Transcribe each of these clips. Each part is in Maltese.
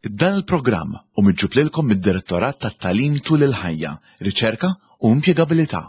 Dan il-programm hu miġjub lilkom mid-Direttorat tat-Tagħlim Tul il-Ħajja, Riċerka u Impjegabilità.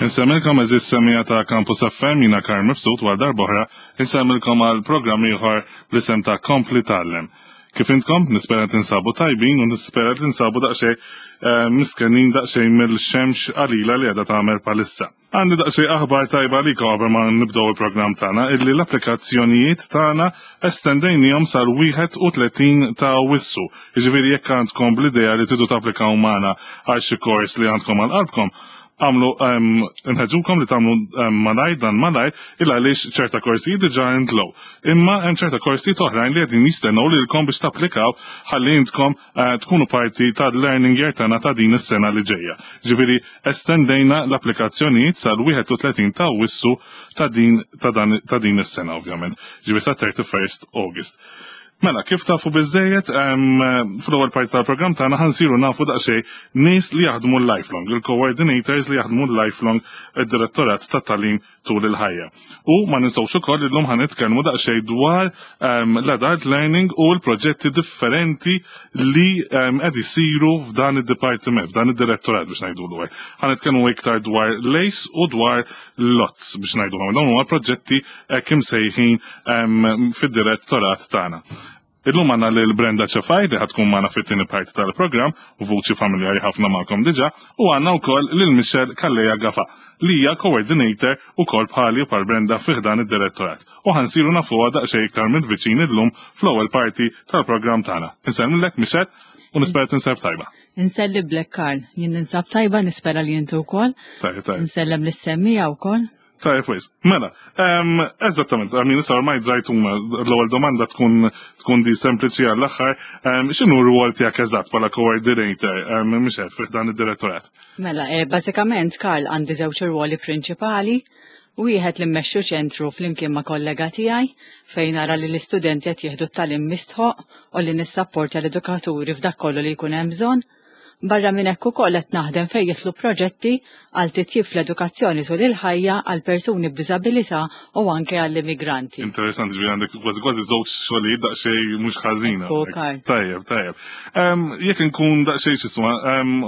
Insemmilkom eżis semija ta' Campus FM jina Karl Mifsud għal darbohra insemmilkom għal programm ieħor bl-isem ta' Kompli Tallem. Kif intkom, nispera tinsabu tajbin u nispera tinsabu daqsxejn eh, miskenin daqsxejn mill-xemx qalila li qiegħda tagħmel palissa. Għandi daqsxejn aħbar tajba għalikom qabel ma nibdew il-programm tagħna illi l-applikazzjonijiet tagħna estendejnihom sal-31 ta' Awwissu. Jiġifieri jekk għandkom bl-idea li tridu tapplikaw magħna għal xi kors li għandkom għal qalbkom, għamlu nħeġġukom li tagħmlu malajr dan malajr il għaliex ċerta korsijiet diġà intlow. Imma hemm ċerta korsijiet oħrajn li qegħdin jistennew lilkom biex tapplikaw ħalli intkom eh, tkunu parti tal-learning year tagħna ta' din is-sena li ġejja. Ġifieri estendejna l-applikazzjonijiet sal-31 ta' Awwissu ta' din ta' dan ta' din is-sena ovvjament. Ġifieri sa 31st August. Mela, kif tafu biżejjed, fl-ewwel parti tal-programm tagħna ħansiru nafu daqsxejn nies li jaħdmu l-lifelong, il-coordinators li jaħdmu l-lifelong id-direttorat tat-tagħlim tul il-ħajja. U ma ninsewx ukoll illum ħa nitkellmu daqsxejn dwar ehm, l-adult learning u l-proġetti differenti li ehm, qed isiru f'dan id-dipartiment, f'dan id-direttorat biex ngħidulu hekk. Ħa nitkellmu iktar dwar l-ACE u dwar l-LOTS biex ngħidu Dawn huma proġetti hekk imsejħin ehm, fid-direttorat tagħna. Illum għandna lil Brenda Cefai li ħatkun magħna fit-tieni parti tal-programm u vuċi familjari ħafna magħkom diġà, u għandna wkoll lil Michelle Calleja Gafa li hija coordinator ukoll bħali u bħal Brenda fi ħdan id-direttorat. U ħansiru nafuha daqsxejn iktar mill-viċin illum fl-ewwel parti tal-programm tagħna. Insellmilek Michelle u nispera tinsab tajba. Inselliblek Karl, jien ninsab tajba nispera li inti wkoll. Tajba, tajba. Insellem lis-semmija wkoll. Tajjeb wis. Mela, eżattament, għamin issa ormai drajtuna l-ewwel domanda tkun tkun di sempliċi għall-aħħar, x'inhu r-rwol tiegħek eżatt bħala coordinator, Michelle, fih dan id-direttorat? Mela, eh, bażikament Karl għandi żewġ irwoli prinċipali. Wieħed li mmexxu ċentru flimkien ma' kollega tiegħi fejn nara li l-istudenti qed jieħdu t-tagħlim mistħoq u li nissapportja l-edukaturi f'dak kollu li jkun hemm bżonn. Barra minn hekk ukoll qed naħdem fejn jidħlu proġetti għal titjib fl-edukazzjoni tul il-ħajja għal persuni b'diżabilità u anke għall-immigranti. Interessanti ġifieri għandek kważi kważi żewġ xogħlijiet daqsxejn mhux ħażina. Tajjeb, tajjeb. Jekk inkun daqsxejn x'isma,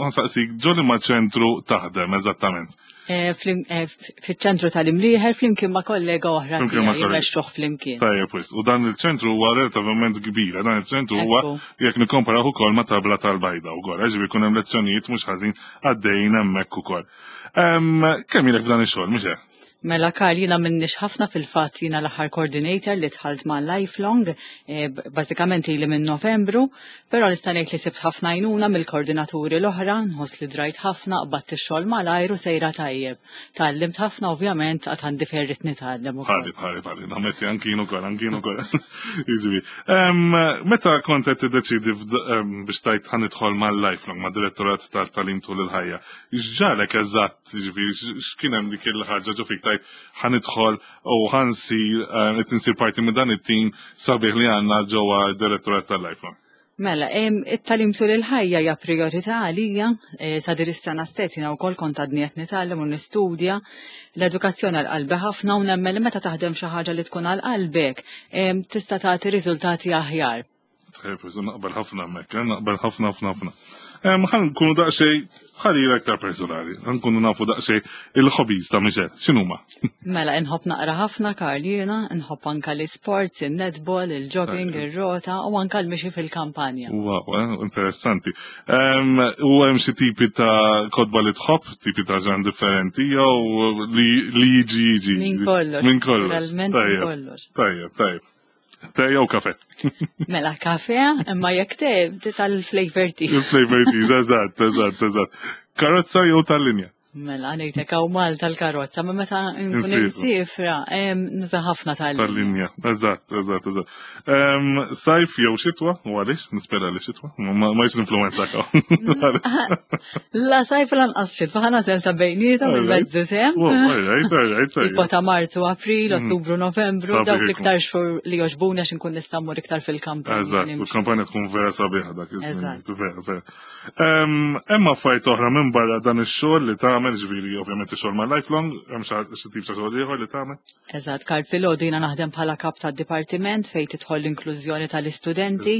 nsaqsik ġo ma ċentru taħdem eżattament. Eh, eh, fiċ-ċentru tal-Imlieħer flimkien ma' kollega oħra jmexxuh flimkien. Tajjeb wis. U dan il-ċentru huwa relativament kbir, dan il-ċentru huwa jekk nikkomparaw ukoll ma' tabla tal-bajda wkoll, eh, ġifieri jkun hemm lezzjonijiet mhux ħażin għaddejjin hemmhekk ukoll. Kemm ilek f'dan ix-xogħol, mhux hekk? Mela Karl, jina minnix ħafna fil-fatt jina l-aħħar coordinator li dħalt ma' Lifelong, eh, bażikament ili minn Novembru, però nista' ngħid li sibt ħafna għajnuna mill-koordinaturi l-oħra, nħoss li drajt ħafna, qbadt ix-xogħol malajr u sejra tajjeb. Tgħallimt ħafna ovvjament għad għandi fejn rrid nitgħallem ukoll. Bħali, bħali, bħali, nammetti anki jien ukoll, anki jien ukoll. Jiġifieri. Meta kont qed tiddeċiedi biex tajt ħa nidħol mal-Lifelong, mad-Direttorat tal-Tagħlim tul il-ħajja, x'ġarek eżatt Ġifieri x'kien hemm dik il-ħaġa ġo fik tajt ħa nidħol u ħa nsir eh, qed insir parti minn dan it-tim sabiħ li għandna ġewwa d-direttorat tal-Lifelong. Mela, it-talim tul il-ħajja hija priorità għalija, eh, sa din is-sena stess jiena wkoll kont għadni qed nitgħallem u nistudja. L-edukazzjoni għal qalbi ħafna u nemmen li meta taħdem xi ħaġa li tkun għal qalbek, tista' tagħti riżultati aħjar. Tajjeb, naqbel ħafna hemmhekk, eh, naqbel ħafna ħafna ħafna. Ħan nkunu daqsxejn ħarira aktar personali, ħan nkunu nafu daqsxejn il-hobbies ta' Michelle, x'inhuma? Mela, inħobb naqra ħafna Karl jiena, inħobb anka l-sports, il-netball, il-jogging, ir-rota u anka l-mixi fil-kampanja. Wow, eh, interessanti. U hemm xi tipi ta' kotba li tħobb, tipi ta' ġan differenti, jew li jiġi jiġi. Min kollox. Min kollox. Tajjeb, tajjeb, tajjeb. Te jew kafe? Mela kafe, imma jekk te tal-flavor tea. Il-flavor tea, eżatt, eżatt, eżatt. Karozza jew tal-linja? Mela, ngħidlek hawn Malta l-karozza, ma meta nkun insifra, nuża ħafna tal-linja. Tal-linja, eżatt, eżatt, eżatt. Sajf jew xitwa, u għaliex, nispera li xitwa, ma jis influenza kaw. La sajf lanqas xitwa, ħana zel ta' bejnieta mill-mezzu sem. Tipo ta' Marzu, April, mhm. Ottubru, Novembru, dawk l-iktar xhur li joġbuna x'inkun nista' mmur iktar fil-kampanja. Eżatt, il-kampanja tkun vera sabiħa dak iż-żmien. Vera, vera. Hemm affarijiet oħra minn barra dan ix-xogħol li tagħmel, ġifieri ovvjament ix-xogħol ma' Lifelong, hemm xi tip ta' xogħol ieħor li tagħmel? Eżatt, Karl filgħodu jiena naħdem bħala kap tad-dipartiment fejn tidħol l-inklużjoni tal-istudenti.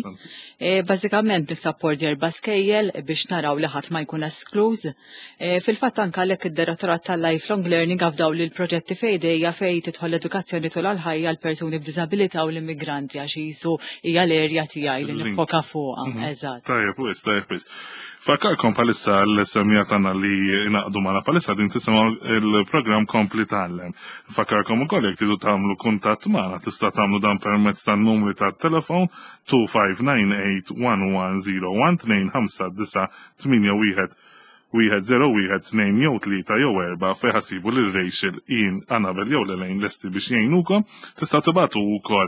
E, bażikament nissapporti erba' skejjel biex naraw li ħadd ma jkun eskluż. E, fil-fatt anke għalhekk id-Direttorat tal-Lifelong Learning għafdaw li l-proġetti fejdejja fejn tidħol l-edukazzjoni tul għal-ħajja l-persuni b'diżabilità u l-immigranti għax jisu hija l-erja tiegħi li nifoka fuqha. Mhm. Eżatt. Tajjeb, wis, tajjeb, wis. Fakkarkom palissa l-semja tagħna li naqdu magħna palissa din tisimgħu il-programm Kompli Tgħallem. Fakkarkom ukoll jekk tridu tagħmlu kuntatt magħna tista' tagħmlu dan permezz tan-numri tat-telefon 2598 1101 259 81 1, 0, 1, 2 jew 3 jew 4 fejn ħa ssibu lil Rachel, Ian, Annabel jew Lelaine lesti biex jgħinukom. Tistgħu tibagħtu wkoll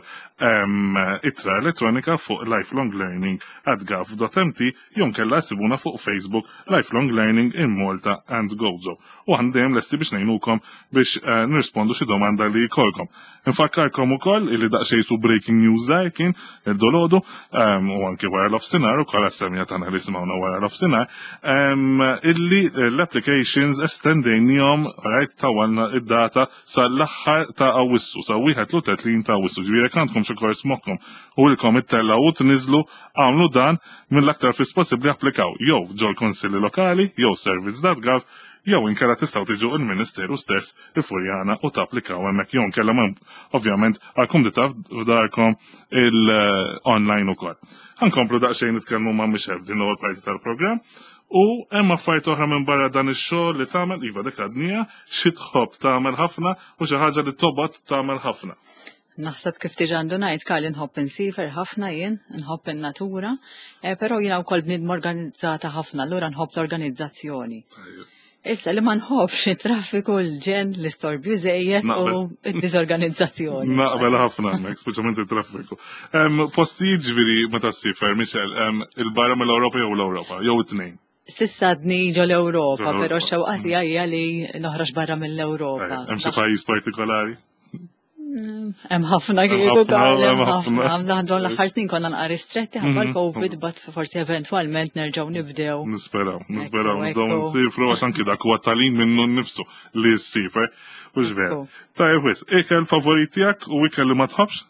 ittra elettronika fuq lifelonglearning@gov.mt jew nkella ssibuna fuq Facebook Lifelong Learning in Malta and Gozo. U aħna dejjem lesti biex ngħinukom biex nirrispondu xi domanda li jkollkom. Infakkarkom ukoll illi daqsxejn su breaking news żgħir kien id-dolodu ehm, u anki wara l-offsinar ukoll għas-semja tagħna li simgħuna wara l-offsinar ehm, illi l-applications estendejnihom right tawalna id-data sal-aħħar ta' Awwissu sa 31 ta' Awwissu. Ġifieri jekk għandkom xi kors moħħkom u ilkom ittellgħu u tniżlu għamlu dan mill-aktar fis possibbli applikaw jew ġol-konsilli lokali jew service.gov jew inkella tistgħu tiġu il-Ministeru stess il-Furjana u tapplikaw hemmhekk jew inkella ovvjament għall-kumdità f'darkom il-online ukoll. Ħankomplu daqsxejn nitkellmu ma' Michelle din l-ewwel parti tal-programm u hemm affarijiet oħra minn barra dan ix-xogħol li tagħmel iva dik għadnija xi tħobb tagħmel ħafna u xi ħaġa li tobgħod tagħmel ħafna. Naħseb kif diġà ndunajt Karl inħobb insifer ħafna jien, nħobb in-natura, eh, però jiena wkoll bniedma organizzata ħafna, allura nħobb l-organizzazzjoni. Issa li ma nħobbx it-traffiku, l-ġen, l-istorbju żejjed u d-diżorganizzazzjoni. Naqbel ħafna hemmhekk, speċjalment it-traffiku. Postijiet ġifieri meta ssifer, Michel, il-barra mill-Ewropa jew l-Ewropa, jew it-tnejn. Sissa għadni ġo l-Ewropa, però x-xewqa tiegħi hija li noħroġ barra mill-Ewropa. Hemm xi pajjiż partikolari? Hemm ħafna kieku hemm ħafna. Dawn l-aħħar snin konna nqar ristretti ħabba mhm. l-Covid, bat forsi eventwalment nerġgħu nibdew. Nisperaw, nisperaw nibdew nsifru għax anki dak huwa talim minnu nnifsu li ssifer. U veru. Tajjeb wis, ikel favorit tiegħek u ikel li ma tħobbx?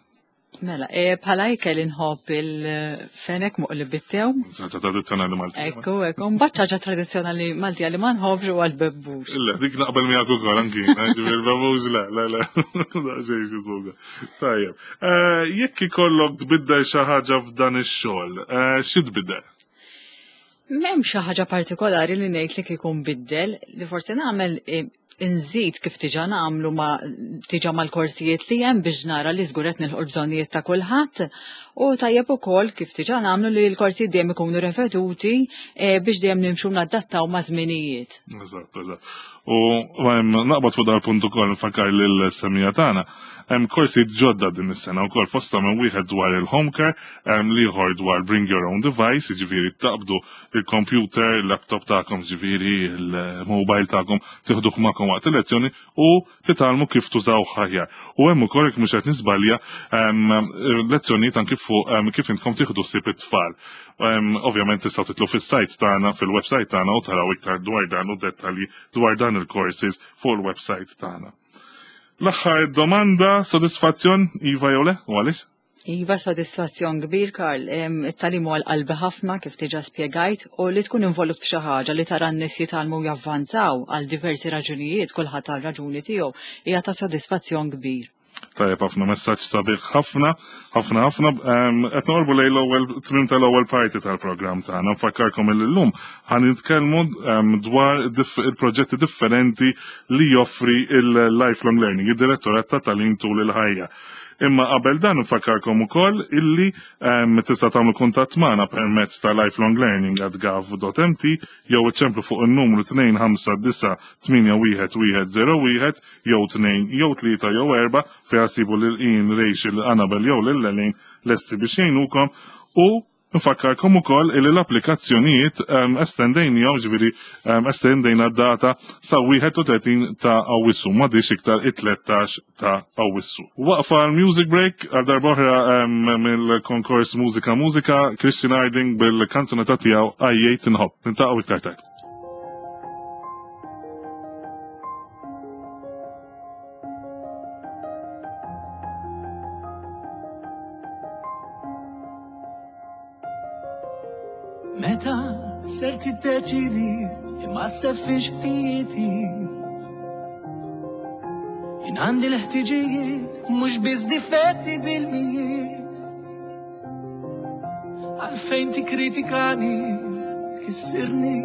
Mela, e, bħala ikel inħobb il-fenek muqli bit-tew. Ħaġa tradizzjonali Maltija. Ekku, ekku, mbagħad ħaġa tradizzjonali Maltija li ma nħobbx huwa l-bebbux. Le, dik naqbel miegħek ukoll anki, ġifieri l-bebbux le, le, le. Daqsxejn xi suga. Tajjeb. Eh, jekk ikollok tbiddel xi ħaġa f'dan ix-xogħol, eh, xi tbiddel? M'hemm xi ħaġa partikolari li ngħid li kieku nbiddel, li forsi nagħmel eh, inżid kif tiġa nagħmlu ma tiġa mal-korsijiet li hemm biex nara li żgur qed nilħu l-bżonnijiet ta' kulħadd u tajjeb ukoll kif tiġa nagħmlu li l-korsijiet dejjem ikunu reveduti eh, biex dejjem nimxu nadattaw ma' żminijiet. Eżatt, eżatt. U naqbad fuq dal-punt ukoll nfakkar lil semmiegħa tagħna. Hemm korsijiet ġodda din is-sena wkoll fosthom hemm wieħed dwar il-home care, hemm l-ieħor dwar bring your own device, jiġifieri taqbdu il-computer, il-laptop tagħkom, jiġifieri il-mobile tagħkom tieħduh magħkom waqt il-lezzjoni u titgħallmu kif tużaw aħjar. U hemm ukoll jekk mhux qed nisbalja lezzjonijiet anki fuq kif intkom tieħdu ħsieb it-tfal. Ovvjament tistgħu titlu fis-site tagħna, fil-website tagħna u taraw iktar dwar dan u dettalji dwar dan il-courses fuq il-website tagħna. L-aħħar domanda, sodisfazzjon, Iva jew le, u għaliex? Iva, sodisfazzjon kbir, Karl. It-tagħlim huwa l-qalbi ħafna kif diġà spjegajt u li tkun involut f'xi ħaġa li tara n-nies jitgħallmu javvanzaw għal diversi raġunijiet, kulħadd għal raġuni tiegħu, hija ta' sodisfazzjon kbir. Tajjeb ħafna messaġġ sabiħ ħafna, ħafna ħafna. Qed noqorbu lejn l-ewwel tmiem tal-ewwel parti tal-programm tagħna. Nfakkarkom illum ħa nitkellmu dwar il-proġetti differenti li joffri il-lifelong learning, id-direttorat ta' tagħlim tul il-ħajja. Imma qabel dan nfakkarkom ukoll illi tista' tagħmlu kuntatt magħna permezz ta' lifelonglearning@gov.mt jew iċċemplu fuq in-numru 259 81 101 jew 2 jew 3 jew 4 fejn ssibu lil Ian, Rachel, Annabel jew lil Elaine lesti biex jgħinukom. U nfakkarkom ukoll illi l-applikazzjonijiet estendejnihom, ġifieri estendejna d-data sa 31 ta' Awwissu, m'għadix iktar it-13 ta' Awwissu. Waqfa għal music break għal darb'oħra mill-konkors Mużika Mużika, Christian Harding bil-kanzunetta tiegħu Għajjejt Inħobb. Niltaqgħu iktar tard. Meta ser tiddeċidi li ma sseffix ħtijieti. Jien għandi l-ħtiġijiet mhux biss difetti bil-mijiet. Għalfejn tikkritikani, tkissirni,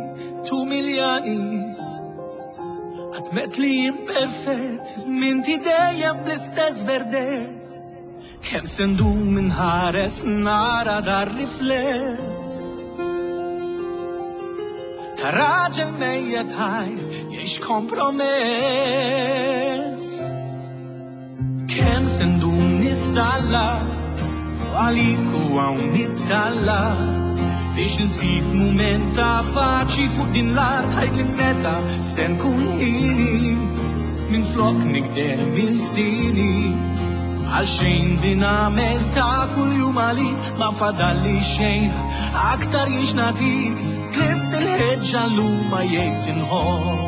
tumiljani. Għadmet li jien perfett, minti dejjem bl-istess verdett. Kemm se ndum inħares nara dar rifless ta' raġel mejjet ħaj jgħix kompromess. Kemm se ndum nissalla għalik u hawn nittalla biex insib mument ta' paċi fuq din l-art ħajt li meta se nkun ħini minn flok nikdem il-sini. Għal xejn din għamel ta' kuljum għalik ma fadalli xejn aktar jiex nagħtik tlift il-ħeġġa llum ma jgħid inħobb.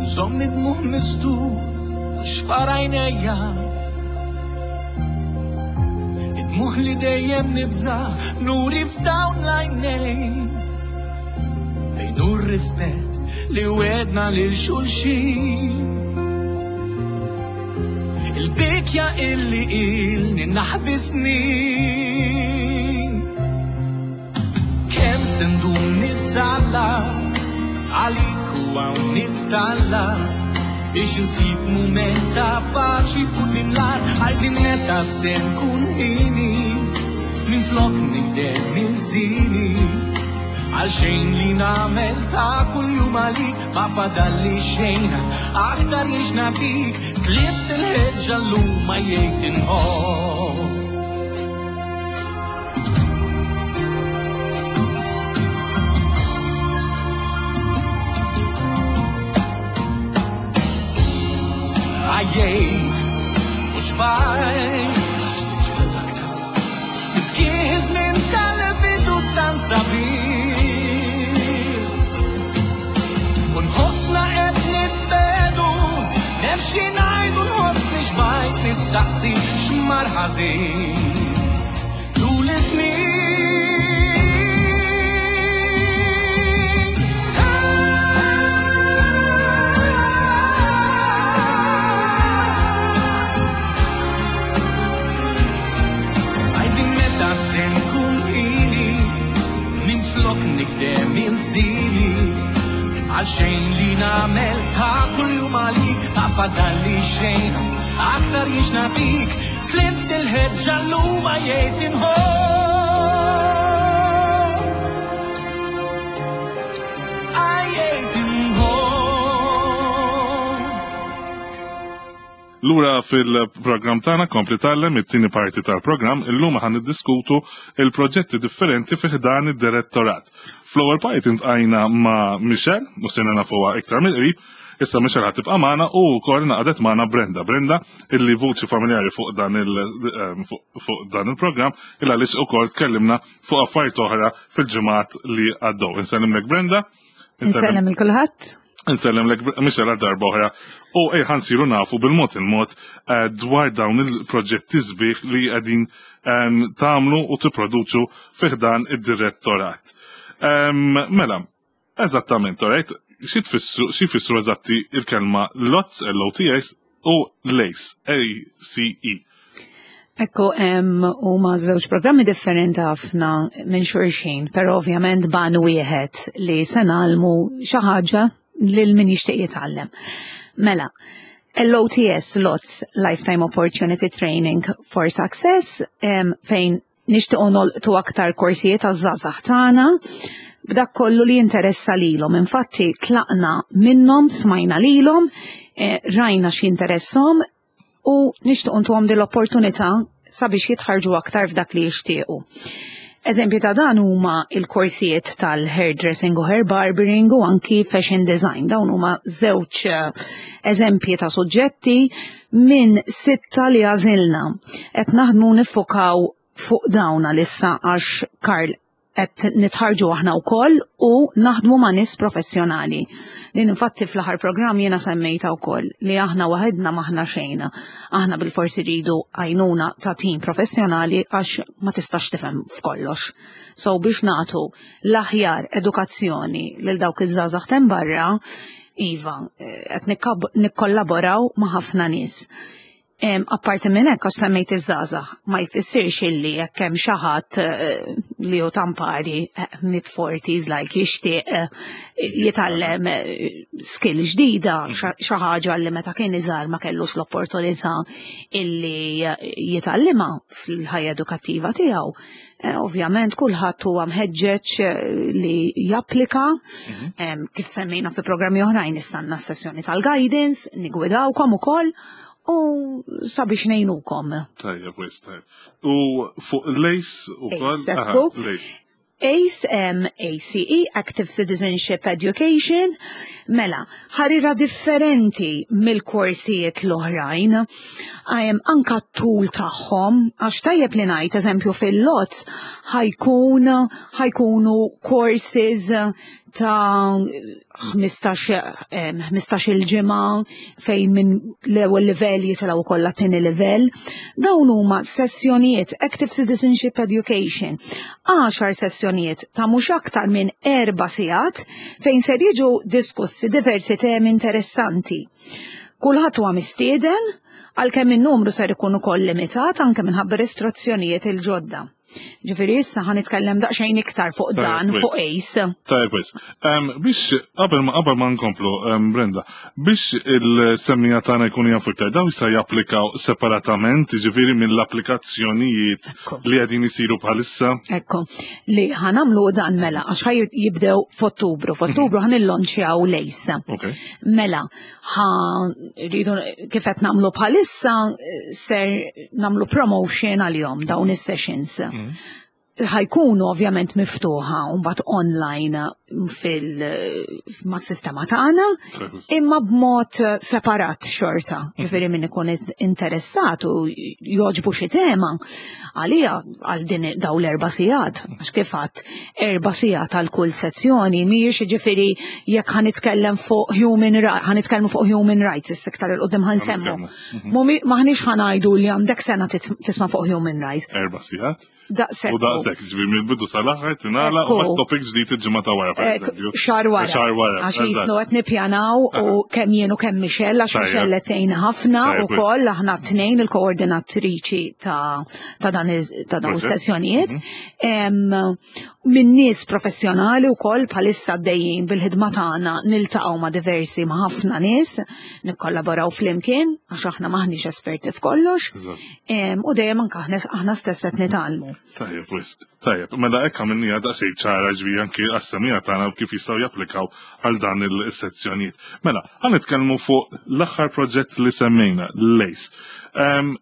Nżomm id-dmugħ mistur xfar għajnejja. Id-dmugħ li dejjem nibża' nuri f'dawn l-għajnejn. Fejn hu r-rispett li wedna lil xulxin. Il-bikja illi ilni naħbi snin. Kemm se ndum nissalla għalik u hawn nittalla biex insib mument ta' paċi fuq din l-art għajt li meta se nkun ħini minn flok nikdem il-żini. Għal xejn li nagħmel ta' kuljum għalik ma fadalli xejn aktar jiex nagħtik tlift il-ħeġġa llum ma jgħid inħobb. Għajjejt u xbajt Kien żmien tal-bidu tant sabiħ. U nħossna qed nitbedu, nefxi ngħidu nħossni xbajt nistaqsi x'mar ħażin. Tul is-snin. Għajt li meta se nkun ili minn flok nikdem il-żili. Għal xejn li nagħmel ta' kuljum għalik ma fadalli xejn aktar jiex nagħtik tlift il-ħeġġa llum ma jgħid inħobb. Għajjejt inħobb. Lura fil-programm tagħna Kompli Tgħallem, it-tieni parti tal-programm, illum ħa niddiskutu il-proġetti differenti fi ħdan id-direttorat. Fl-ewwel parti intqajna ma' Michelle u sirna nafuha iktar mill-qrib, issa Michelle ħa tibqa' magħna u wkoll naqdet magħna Brenda. Brenda illi vuċi familjari fuq dan il-programm illa għaliex ukoll tkellimna fuq affarijiet oħra fil-ġimgħat li għaddew. Insellimlek Brenda. Insellem il kulħadd. Insellem lek Michelle għal darba oħra u ej ħansiru nafu bil-mod il-mod dwar dawn il-proġetti sbieħ li qegħdin tagħmlu u tipproduċu fi ħdan id-direttorat. Mela, eżattament, alright, xi tfissru, xi jfissru eżatti il-kelma LOTS, L-O-T-S, u LACE, A-C-E? Ekku, huma żewġ programmi differenti ħafna minn xulxin, però ovvjament ban wieħed li se nagħlmu xi ħaġa lil min jixtieq jitgħallem. Mela, LOTS, LOTS, Lifetime Opportunity Training for Success, fejn nixtiequ nolqtu aktar korsijiet għaż-żgħażagħ tagħna b'dak kollu li jinteressa lilhom. Infatti tlaqna minnhom, smajna lilhom, rajna x'jinteresshom u nixtiequ ntuhom din l-opportunità sabiex jitħarġu aktar f'dak li jixtiequ. Eżempju ta' dan huma il-korsijiet tal-hairdressing u hair barbering u anki fashion design. Dawn huma żewġ eżempji ta' suġġetti minn 6 li għażilna. Qed naħdmu niffokaw fuq dawn għalissa għax Karl qed nitħarġu aħna wkoll u naħdmu ma' nies professjonali. Din infatti fl-aħħar programm jiena semmejta wkoll li aħna waħedna m'aħna xejn. Aħna bilforsi rridu għajnuna ta' tim professjonali għax ma tistax tifhem f'kollox. So biex nagħtu l-aħjar edukazzjoni lil dawk iż-żgħażagħ t'hemm barra, iva, qed nikkollaboraw ma' ħafna nies. Apparti minn hekk, għax semmejt iż-żgħażagħ, ma jfissirx illi jekk hemm xi ħadd li hu tampari mid-forties like jixtieq jitgħallem skill ġdida, xi ħaġa li meta kien iżgħar ma kellux l-opportunità illi jitgħallimha fil-ħajja edukattiva tiegħu. Ovvjament kulħadd huwa mħeġġeġ li japplika, kif semmejna fi programmi oħrajn issa għandna sessjoni tal-guidance, nigwidawkom ukoll u sabiex ngħinukom. Tajjeb, wis, tajjeb. U fuq l-ACE ukoll? ACE, ekku. L-ACE. ACE, ACE, Active Citizenship Education, mela, ħarira differenti mill-korsijiet l-oħrajn, anka t-tul tagħhom, għax tajjeb li ngħid, eżempju fil-LOTS, ħajkunu courses ta' 15 il-ġimgħa fejn minn l-ewwel livell jitilgħu wkoll għat-tieni livell. Dawn huma sessjonijiet Active Citizenship Education, 10 sessjonijiet ta' mhux aktar minn 4 sigħat fejn ser jiġu diskussi diversi temi interessanti. Kulħadd huwa mistieden, għalkemm in-numru ser ikun ukoll limitat anke minħabba restrizzjonijiet il-ġodda. Ġifieri issa ħa nitkellem daqsxejn iktar fuq dan, fuq ACE. Tajjeb, wis. Biex qabel ma nkomplu, Brenda, biex il-semmija tagħna jkunu jafu iktar, dawn jista' japplikaw separatament, ġifieri mill-applikazzjonijiet li qegħdin isiru bħalissa. Ekku, li ħa nagħmlu dan mela, għax ħaj jibdew f'Ottubru. F'Ottubru ħa nillonċjaw l-ACE. Mela, ħa rridu kif qed nagħmlu bħalissa ser nagħmlu promotion għalihom dawn is-sessions. Ħajkunu ovvjament miftuħa u mbagħad online mas-sistema tagħna, imma b'mod separat xorta. Ġifieri min ikun interessat u jogħġbu xi tema għalija għal din daw l-4 sigħat, għax kif għadt 4 sigħat għal kull sezzjoni, mhijiex ġifieri jekk ħa nitkellem fuq human ħa nitkellmu fuq human rights, issa iktar 'il quddiem ħa nsemmu. Maħniex ħa ngħidu li għandek sena tisma' fuq human rights. 4 sigħat? Daqshekk. U daqshekk, ġifieri mill-bidu sal-aħħar tingħalaq u mbagħad topic ġdid il-ġimgħa ta' wara, per eżempju. Xahar wara. Xahar wara, Għax eżatt. jisnu qed nippjanaw u kemm jien u kemm Michelle, għax Michelle qed tgħinna ħafna ukoll aħna tnejn il-koordinatriċi ta' dan ta' dawn is-sessjonijiet. Minn nies professjonali wkoll bħalissa għaddejjin bil-ħidma tagħna niltaqgħu ma' diversi ma' ħafna nies, nikkollaboraw flimkien għax aħna maħniex esperti f'kollox. U dejjem anke aħna stess qed nitgħallmu. Tajjeb, wis. Tajjeb, mela hekk għamilniha daqsxejn ċara ġifieri anke għas-semija tagħna u kif jistgħu japplikaw għal dan il-sezzjonijiet. Mela, ħa nitkellmu fuq l-aħħar proġett li semmejna, l-ACE.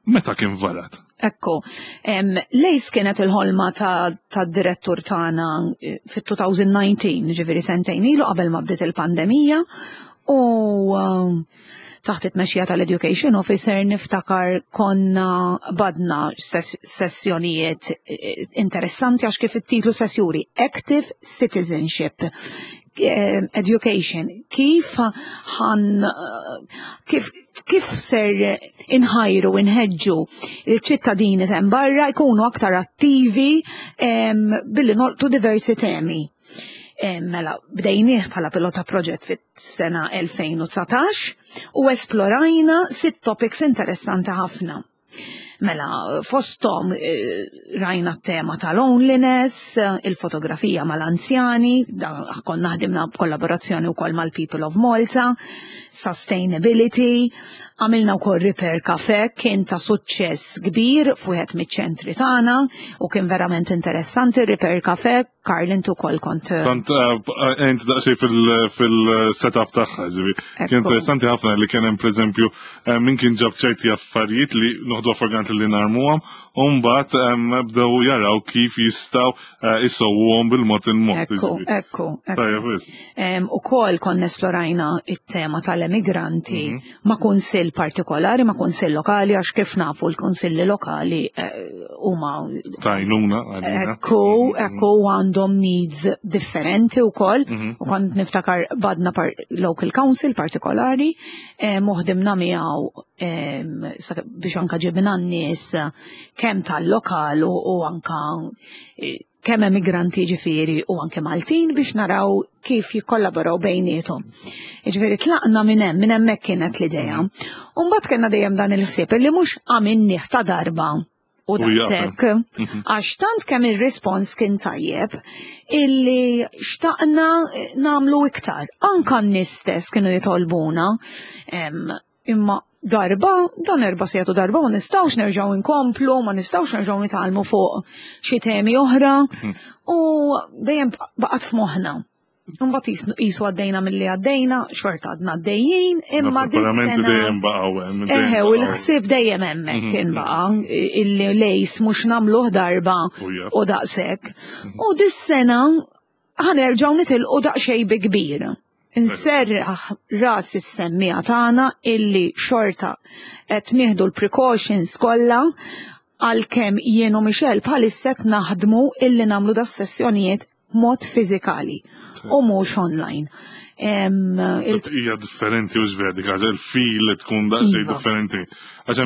Meta kien varat? Ekku, l-ACE kienet il-ħolma ta' direttur tagħna fit-2019, ġifieri sentejn ilu qabel ma bdiet il-pandemija, u taħt it-tmexxija tal-Education Officer niftakar konna badna sessjonijiet interessanti għax kif it-titlu sessjuri Active Citizenship Education, kif ħan kif, kif ser inħajru, inħeġġu il-ċittadini t'hemm barra jkunu aktar attivi billi nolqtu diversi temi. Mela, bdejnieh bħala pilota proġett fit-sena 2019 u esplorajna 6 topics interessanti ħafna. Mela, fosthom rajna t-tema ta' loneliness, il-fotografija mal-anzjani, konna ħdimna b'kollaborazzjoni wkoll mal-People of Malta, sustainability, għamilna wkoll repair cafe, kien ta' suċċess kbir f'wieħed miċ-ċentri tagħna u kien verament interessanti repair cafe. Karl, intu kol kont. Kont ent daqsxejn fil-setup tagħha, ġifi. Kien interessanti ħafna li kien hemm pereżempju min kien ġab ċerti affarijiet li noħdu for granted li narmuhom, u mbagħad bdew jaraw kif jistgħu isowwhom bil-mod il-mod. Ekku, ekku. Tajjeb, wis. Ukoll konna esplorajna it-tema tal-emigranti ma' kunsill partikolari, ma' kunsill lokali, għax kif nafu l-kunsilli lokali huma tajnuna. Ekku, ekku għandhom needs differenti wkoll. U kont niftakar badna par local council partikolari, moħdimna miegħu biex anka ġibna n-nies kemm tal-lokal u anka kemm emigranti ġifieri u anke Maltin biex naraw kif jikkollaboraw bejniethom. Ġifieri tlaqna minn hemm, minn hemmhekk kienet l-idea. U mbagħad kellna dejjem dan il-ħsieb li mhux għamilnieh ta' darba u daqshekk, għax tant kemm ir-rispons kien tajjeb illi xtaqna nagħmlu iktar. Anka n-nies stess kienu jitolbuna, imma darba, dan 4 sigħat u darba ma nistgħux nerġgħu nkomplu, ma nistgħux nerġgħu nitgħallmu fuq xi temi oħra, u dejjem baqgħet f'moħħna. Imbagħad qisu għaddejna milli għaddejna, xorta għadna għaddejjin, imma Na, preparamenti dis-sena dejjem baqgħu hemm, dejjem Eħe, u baqgħu. l-ħsieb dejjem hemmhekk kien baqa', illi lejs mhux nagħmluh darba U jaf. u daqshekk. U dis-sena ħanerġgħu nitilqu daqsxejn bi kbir. Inserraħ ras is-semmiegħa tagħna illi xorta qed nieħdu l-precautions kollha, għalkemm jien u Michelle bħalissa qed naħdmu illi nagħmlu das-sessjonijiet b'mod fiżikali u mhux online. Hija differenti u x'veri dik ħaġa, il-feel li tkun daqsxejn differenti. Għax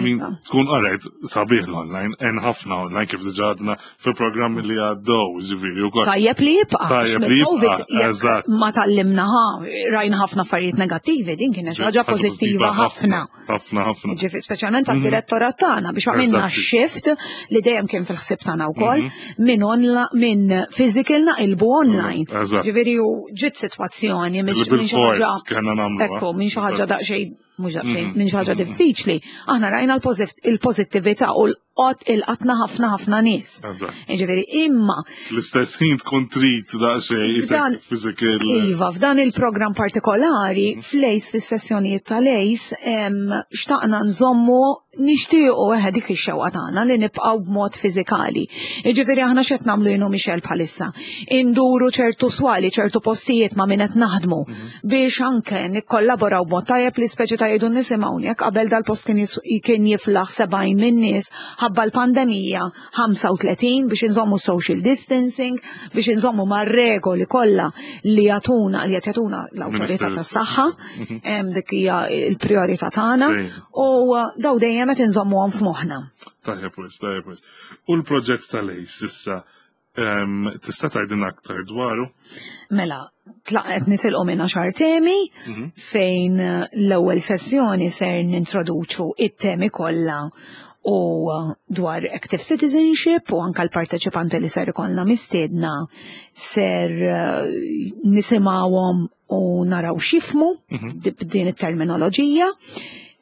tkun qarajt sabiħ l-online, hemm ħafna online kif diġà għadna fil-programmi li għaddew, ġifieri wkoll. Tajjeb li jibqa', Tajjeb għax li mill-COVID jibqa', jekk eżatt. ma tallimnaha, rajna ħafna affarijiet negattivi, din kienet xi ħaġa Ħaġa pożittiva pożittiva ħafna. ħafna, ħafna. Ġifieri, speċjalment għad-direttorat tagħna biex għamilna shift li dejjem kien fil-ħsieb tagħna wkoll minn physical naqilbu online. Ġifieri u ġiet sitwazzjoni Li minn xi ħaġa bil-fors kellna nagħmluha. Ekku, minn xi ħaġa daqsxejn, mhux daqsxejn, minn xi ħaġa diffiċli. Aħna rajna il-pożittività u l-qatna ħafna ħafna nies. Ġifieri, imma L-istess ħin tkun trid daqsxejn isek physical. Iva, f'dan il-programm partikolari, fl-ACE, fis-sessjonijiet tal-ACE, xtaqna nżommu, nixtiequ eħe dik ix-xewqa tagħna li nibqgħu b'mod fiżikali. Jiġifieri aħna x'qed nagħmlu jien u Michelle bħalissa? Induru ċertu swali, ċertu postijiet ma' min qed naħdmu biex anke nikkollaboraw b'mod tajjeb li speċi ta' jgħidu nisimgħu jekk qabel dal-post kien jiflaħ 70 minn nies, ħabba l-pandemija 35 biex inżommu social distancing, biex inżommu mar-regoli kollha li jagħtuna, li qed jagħtuna l-awtorità Ministeru. tas-saħħa, dik hija l-priorità tagħna, u daw dejjem qed inżommuhom f'moħħna. Tajjeb wis, tajjeb wis. U l-proġett tal-ACE issa, tista' tgħidilna aktar dwaru? Mela, tlaqet nitilqu minn 10 temi, fejn l-ewwel sessjoni ser nintroduċu it-temi kollha u dwar active citizenship u anka l-parteċipanti li ser ikollna mistiedna ser nisimgħuhom u naraw x'jifhmu b'din it-terminoloġija.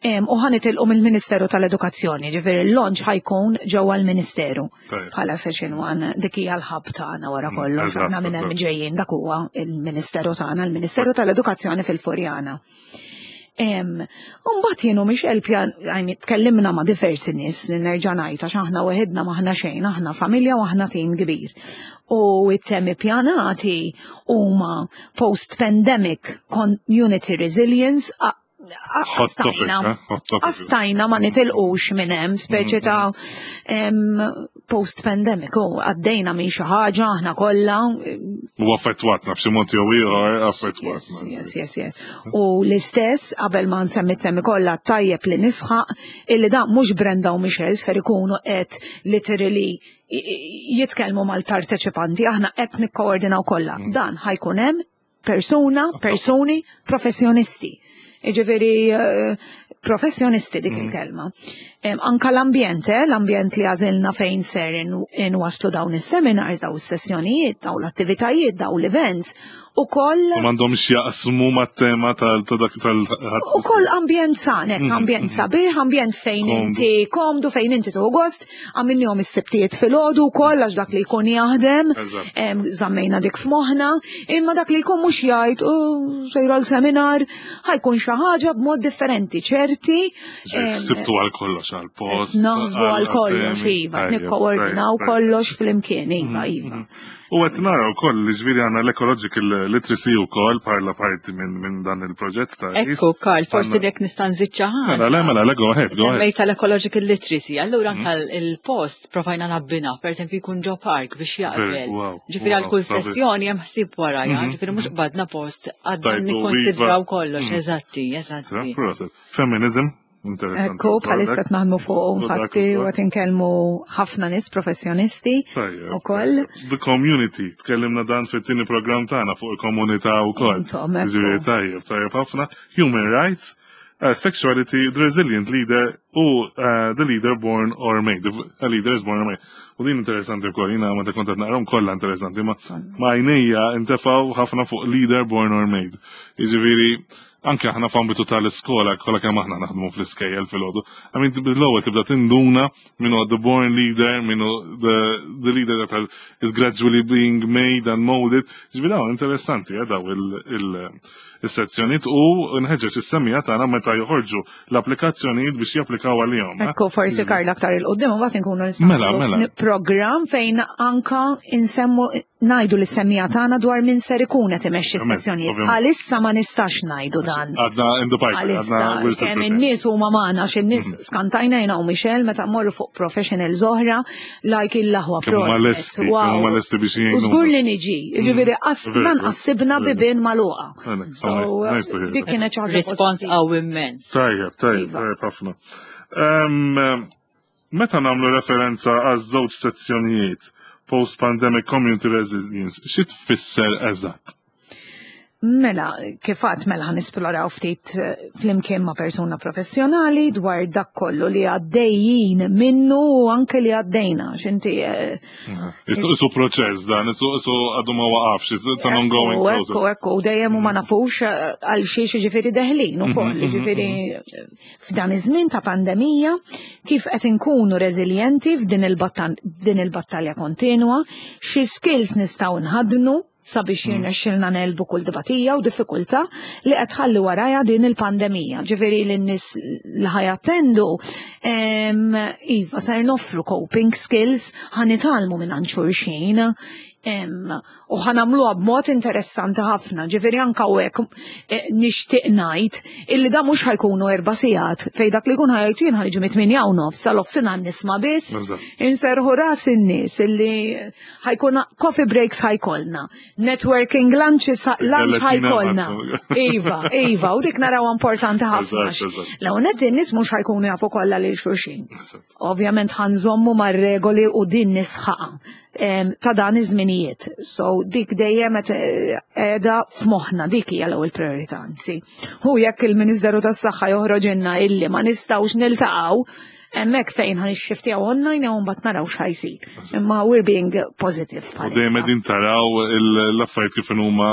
U ħa nitilqu mill-Ministeru tal-Edukazzjoni, ġifieri l-launch ħa jkun ġewwa l-Ministeru. Bħala session 1, dik hija l-ħab tagħna wara kollox, aħna minn hemm ġejjin, dak huwa il-Ministeru tagħna, il-Ministeru tal-Edukazzjoni fil-Furjana. Mbagħad jien u Michelle pjan, I mean, tkellimna ma' diversi nies, nerġa' ngħid għax aħna weħidna m'aħna xejn, aħna familja u aħna tim kbir. U it-temi pjanati huma post-pandemic community resilience, Hot topic, eh? Hot topic. Għastajna ma nitilqux minn hemm, speċi ta' post-pandemic, u għaddejna minn xi ħaġa aħna kollha. U affettwatna f'xi mod jew ieħor, affettwatna. Yes, yes, yes. U l-istess qabel ma nsemmi temi kollha tajjeb li nisħaq illi da mhux Brenda u Michelle ser ikunu qed literally jitkellmu mal-parteċipanti, aħna qed nikkoordinaw kollha. Dan ħa jkun hemm persuna, persuni, professjonisti. Jiġifieri professjonisti dik il-kelma. Anka l-ambjent, l-ambjent li għażilna fejn ser inwasslu dawn is-seminars, dawn is-sessjonijiet, dawn l-attivitajiet, dawn l-events, ukoll. U m'għandhomx jaqsmu mat-tema tal ta' dak tal Ukoll ambjent san, hekk, ambjent sabiħ, ambjent fejn inti komdu, fejn inti tieħu gost, għamilnihom is-Sibtijiet filgħodu wkoll għax dak li jkun jaħdem, żammejna dik f'moħħna, imma dak li jkun mhux jgħid, oh, sejra l-seminar, ħa jkun xi ħaġa b'mod differenti, ċerti. Sibtu għal kollox għal post. Naħsbu għal kollox, iva, nikkoordinaw kollox flimkien, iva, iva. U qed nara wkoll li ġifieri għandna l-ecological literacy wkoll parla parti minn dan il-proġett ta' Ekku, Karl, forsi dek nista' nżid xi ħaġa. Mela, le, mela, le, go ahead, go ahead. Semmejt tal-ecological literacy, allura anke il-post provajna nabbina, per eżempju jkun ġo park biex jaqbel. Ġifieri għal kull sessjoni hemm ħsieb warajha, ġifieri mhux qbadna post għadna nikkonsidraw kollox, eżatti, eżatti. Feminism, interessanti. Ekku, bħalissa qed naħdmu fuq infatti u qed inkellmu ħafna nies professjonisti ukoll. The community, tkellimna dan fit-tieni programm tagħna fuq il-komunità wkoll. Ġifieri tajjeb, tajjeb ħafna. Human rights, sexuality, the resilient leader u the leader born or made. A leader is born or made. U din interessanti wkoll, jiena meta kont qed naqrahom kollha interessanti, ma għajnejja intefgħu ħafna fuq leader born or made. Jiġifieri anke aħna f'ambitu tal-iskola, kollha kemm aħna naħdmu fl-iskejjel filgħodu. I mean, l-ewwel tibda tinduna min hu the born leader, min hu the leader that is gradually being made and molded. Ġifieri dawn interessanti, daw il-sezzjonijiet u nħeġġeġ is-semmiegħa tagħna meta joħorġu l-applikazzjonijiet biex japplikaw għalihom. Ekku, forsi Karl aktar il-qudiem mbagħad inkunu nistgħu Mela, mela. Programm fejn anka insemmu ngħidu lis-semmiegħa tagħna dwar min ser ikun qed imexxi s-sessjonijiet. Għalissa ma nistax ngħidu dan. Għadna in the pipe. Għalissa kemm in-nies huma magħna xi nies mhm. skantajna jiena u Michelle meta mmorru fuq professionals oħra like il-laħwa proset. Wow. U żgur li niġi, mhm. jiġifieri lanqas sibna bibien magħluqa. So dik kienet xi ħaġa. Rispons qawwi immens. Tajjeb, tajjeb, iva. tajjeb ħafna. Meta nagħmlu referenza għaż-żewġ sezzjonijiet post-pandemic community resilience, xi tfisser eżatt? Mela, kif għedt mela ħa nisploraw ftit flimkien ma' persuna professjonali dwar dak kollu li għaddejjin minnu u anke li għaddejna, x'inti. Isu proċess dan, isu għadu ma waqafx, it's an ongoing process. Ekku, ekku, dejjem u ma nafux għal xiex ġifieri deħlin ukoll, ġifieri f'dan iż-żmien ta' pandemija, kif qed inkunu reżiljenti f'din il-battalja kontinwa, xi skills nistgħu nħaddnu sabiex jirnexxilna negħlbu kull tbatija u diffikultà li qed tħalli warajha din il-pandemija. Ġifieri lin-nies li ħa jattendu, iva, ser noffru coping skills, ħa nitgħallmu minn xulxin, u ħa nagħmluha b'mod interessanti ħafna. Ġifieri anka u hekk nixtieq ngħid illi da mhux ħa jkunu 4 sigħat fejn dak li jkun ħa jgħid jien ħa niġi mit-8:30 sal-nofsinhar nisma' biss. Inserħu ras in-nies illi ħa jkun coffee breaks ħa jkollna, networking lunches lunch ħa jkollna. Iva, iva, u dik naraw importanti ħafna. L-ewwel in-nies mhux ħa jkunu jafu kollha lil xulxin. Ovvjament ħa nżommu mar-regoli u din nisħaqa ta' dan iż-żminijiet. So dik dejjem qed qiegħda f'moħħna, dik hija l-ewwel priorità anzi. Hu jekk il-Ministeru tas-Saħħa joħroġilna illi ma nistgħux niltaqgħu, hemmhekk fejn ħa nixxiftjaw online jew mbagħad naraw x'ħa jsir. Imma we're being positive U dejjem qegħdin taraw l-affarijiet kif huma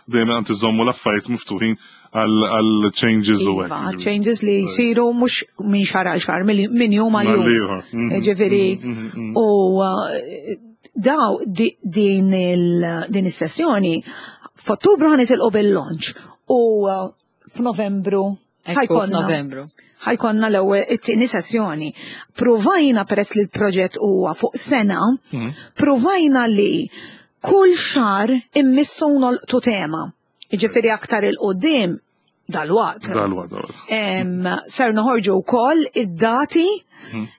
dejjem qed iżommu l-affarijiet miftuħin għal changes u hekk. Iva, changes li jsiru mhux minn xahar għal xahar, minn jum għal jum. Ġifieri u daw din is-sessjoni f'Ottubru ħa nitilqu bil-launch u f'Novembru ħa jkollna Novembru. Ħa jkollna l-ewwel it-tieni sessjoni. Provajna peress li l-proġett huwa fuq sena, provajna li kull xahar immissu nolqtu tema. Ġifieri aktar 'il quddiem dalwaqt. Dalwaqt, dalwaqt. Ser noħorġu wkoll id-dati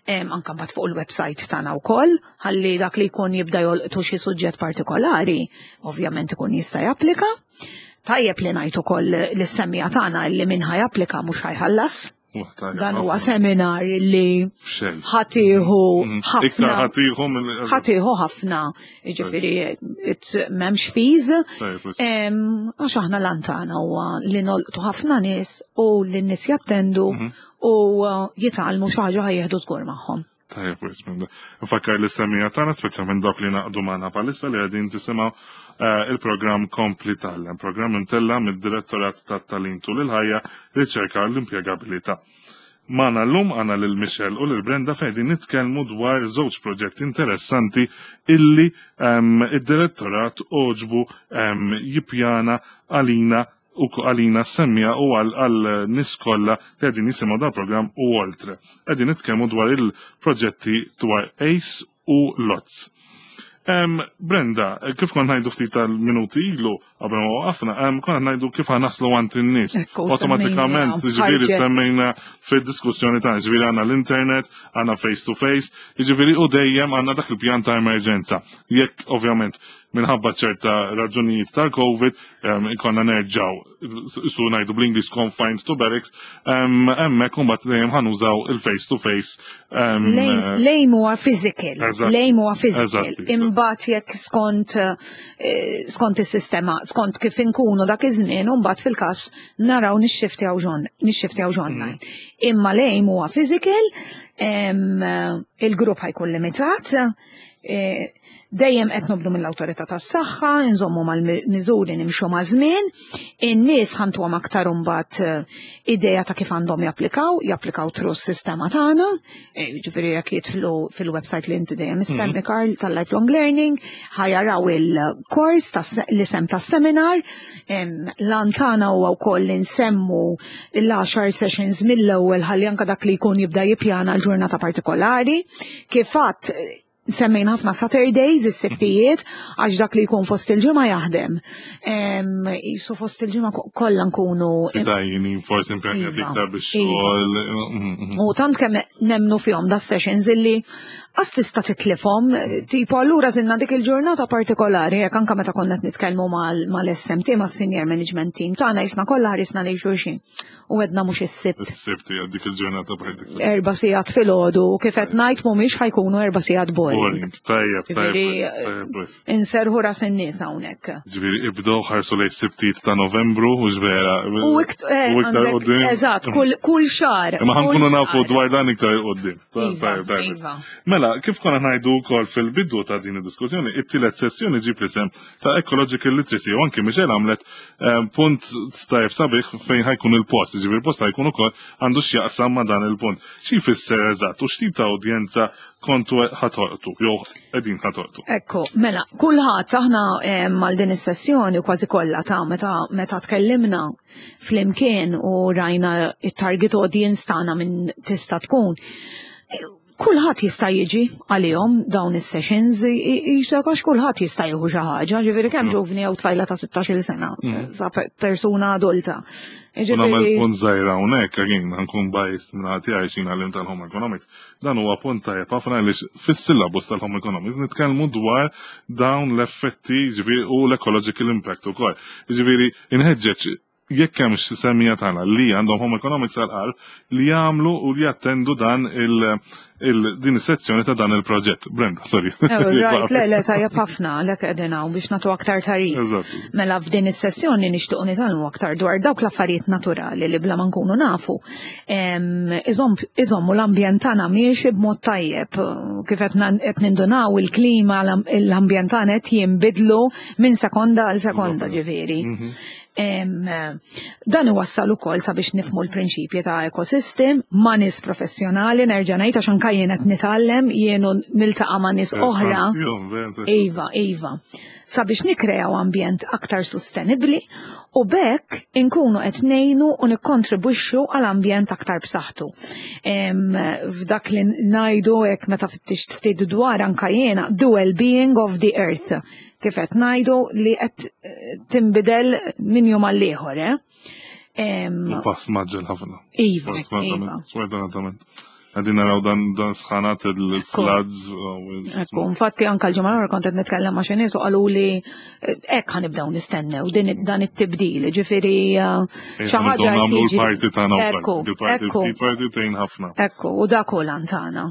anka mbagħad fuq il-website tagħna wkoll, ħalli dak li jkun jibda jolqtu xi suġġett partikolari, ovvjament ikun jista' japplika. Tajjeb li ngħid ukoll lis-semmiegħa tagħna li min ħa japplika mhux ħa jħallas. Dan huwa seminar li ħatiħu mhm. ħafna. Ħatiħu ħafna, ġifieri m'hemmx fees. Għax aħna lantana huwa li nolqtu ħafna nies u li n-nies jattendu mhm. u uh, jitgħallmu xi ħaġa ħajjeħdu żgur magħhom. Tajjeb, wisq minn Nfakkar li semija tagħna speċjalment dawk li naqdu magħna bħalissa li qegħdin tisimgħu eh, il-programm Kompli Tgħallem, programm imtella mid-Direttorat tat-Tagħlim tul il-ħajja, Riċerka u l-Impjegabilità. Magħna llum għandna lil Michelle u lil Brenda fejn qegħdin nitkellmu dwar żewġ proġetti interessanti illi ehm, id-direttorat oġbu ehm, jippjana għalina u għalina semmija u għal nies kollha li qegħdin jisimgħu dan programm u oltre. Qegħdin nitkellmu dwar il-proġetti dwar ACE u LOTS. Brenda, kif kont ngħidu ftit tal-minuti ilu, qabel ma waqafna, konna ngħidu kif naslu għand in-nies. Awtomatikament, ġifieri semmejna fid-diskussjoni tagħna, ġifieri għandna l-internet, għandna face to face, ġifieri u dejjem għandna dak il-pjan ta' emerġenza. Jekk ovvjament minħabba ċerta raġunijiet tal-COVID, ikonna nerġaw, su najdu bl-Inglis confined to barracks, hemmhekk imbagħad dejjem ħanużaw il-face to face. Lejn huwa physical, lejn huwa physical. Imbagħad jekk skont eh, skont is-sistema, skont kif inkunu dak iż-żmien, u mbagħad fil-każ naraw nixxiftjaw nixxiftjaw online. Imma lejn huwa physical, il-grupp ħajkun limitat, eh, Dejjem qed nobdu mill-awtorità tas-saħħa, nżommu mal-miżuri nimxu ma' żmien, in-nies ħantuhom aktar imbagħad eh, idea ta' kif għandhom japplikaw, japplikaw tru s-sistema tagħna, eh, jiġifieri jekk jidħlu fil-website li inti dejjem issemmi mhm. Karl tal-Lifelong Learning, ħajaraw il-kors l-isem tas-seminar, lan tagħna huwa wkoll li nsemmu l-10 sessions mill-ewwel ħalli anke dak li jkun jibda jippjana l-ġurnata partikolari, kif għadd Semmejna ħafna Saturdays, is-sibtijiet, għax dak li jkun fost il-ġimgħa jaħdem. Jisu fost il-ġimgħa kollha nkunu. Fitajni, forsi impenjati iva, iktar biex iva. xogħol. Mm, mm, mm. U tant kemm nemnu fihom da sessions illi għas tista' titlifhom, tipo allura żinna dik il-ġurnata partikolari, jekk anke meta konna qed nitkellmu mal-SMT, mas-senior management team tagħna jisna kollha ħarisna lejn xulxin. u għedna mhux is-Sibt. Is-Sibt hija dik il-ġurnata partikolari. Erba' sigħat filgħodu kif qed ngħid mhumiex ħajkunu erba' sigħat boring. Tajjeb, tajjeb. Inserħu ras in-nies hawnhekk. Ġifieri ibdew ħarsu lejn sibtijiet ta' Novembru u ġvera. U eh, iktar qudiem. Eżatt, kull xahar. Imma ħankunu nafu dwar dan iktar qudiem. Iva, iva. Mela, kif konna ngħidu wkoll fil-bidu ta' din id-diskussjoni, it-tielet sessjoni ġib l-isem ta' ecological literacy u anki Michelle għamlet eh, punt tajb sabiħ fejn ħajkun il-post, ġifieri il-post ħajkun ukoll għandu x'jaqsam ma' dan il-punt. Xi jfisser eżatt u x'tip ta' udjenza kontu ħatolqtu jew qegħdin ħatolqtu? Ekku, mela, kulħadd aħna eh, mal din is-sessjoni kważi kollha ta' meta meta tkellimna flimkien u rajna it-target audience tagħna minn tista' tkun Kulħadd jista' jiġi għalihom dawn is-sessions, jisek għax kulħadd jista' jieħu xi ħaġa, ġifieri kemm mm. ġuvni jew tfajla ta' 16-il sena, mm. sa persuna adulta. Nagħmel punt żgħir hawnhekk again nkun biased minn ħadd jgħid xi għallim tal-Home Economics. Dan huwa punt tajjeb ħafna għaliex fis-syllabus tal-Home Economics nitkellmu dwar dawn l-effetti ġifieri u l-ecological impact ukoll. Ġifieri inħeġġeġ jekk hemm xi semmija tagħna li għandhom home economics għal li jagħmlu u li jattendu dan il din is-sezzjoni ta' dan il-proġett. Brenda, sorry. Eh, right, le, le, tajjeb ħafna lek qegħdin hawn biex nagħtu aktar tarif. Mela f'din is-sessjoni nixtiequ nitgħallmu aktar dwar dawk l-affarijiet naturali li bla ma nkunu nafu. Iżommu l-ambjent tagħna miexi b'mod tajjeb. Kif qed nindunaw il-klima l-ambjent tagħna qed jinbidlu minn sekonda għal sekonda ġifieri. Mhm. Dan iwassal ukoll sabiex nifmu l-prinċipji ta' ekosystem ma' nies professjonali nerġa' ngħid għax anke jien qed nitgħallem jien niltaqa' ma' nies oħra. Iva, iva. Sabiex nikkreaw ambjent aktar sostenibbli u bekk inkunu qed ngħinu u nikkontribwixxu għal ambjent aktar b'saħħtu. F'dak li ngħidu hekk meta fittixt ftit dwar anke jiena the well-being of the earth kif qed ngħidu li qed eh, tinbidel minn jum għal ieħor, eh? Pass maġġel ħafna. Iva, iva. Sfortunatament. Qegħdin naraw dan dan sħanat il-floods. Ekku, infatti anka l-ġimgħa l kont qed nitkellem ma' xi nies u qalu li eh, hekk ħanibdew nistennew din dan it-tibdil, ġifieri eh, xi ħaġa nagħmlu l-parti tagħna Ekku, ekku. Il-parti tgħin ħafna. Ekku, u dak hu lan tagħna.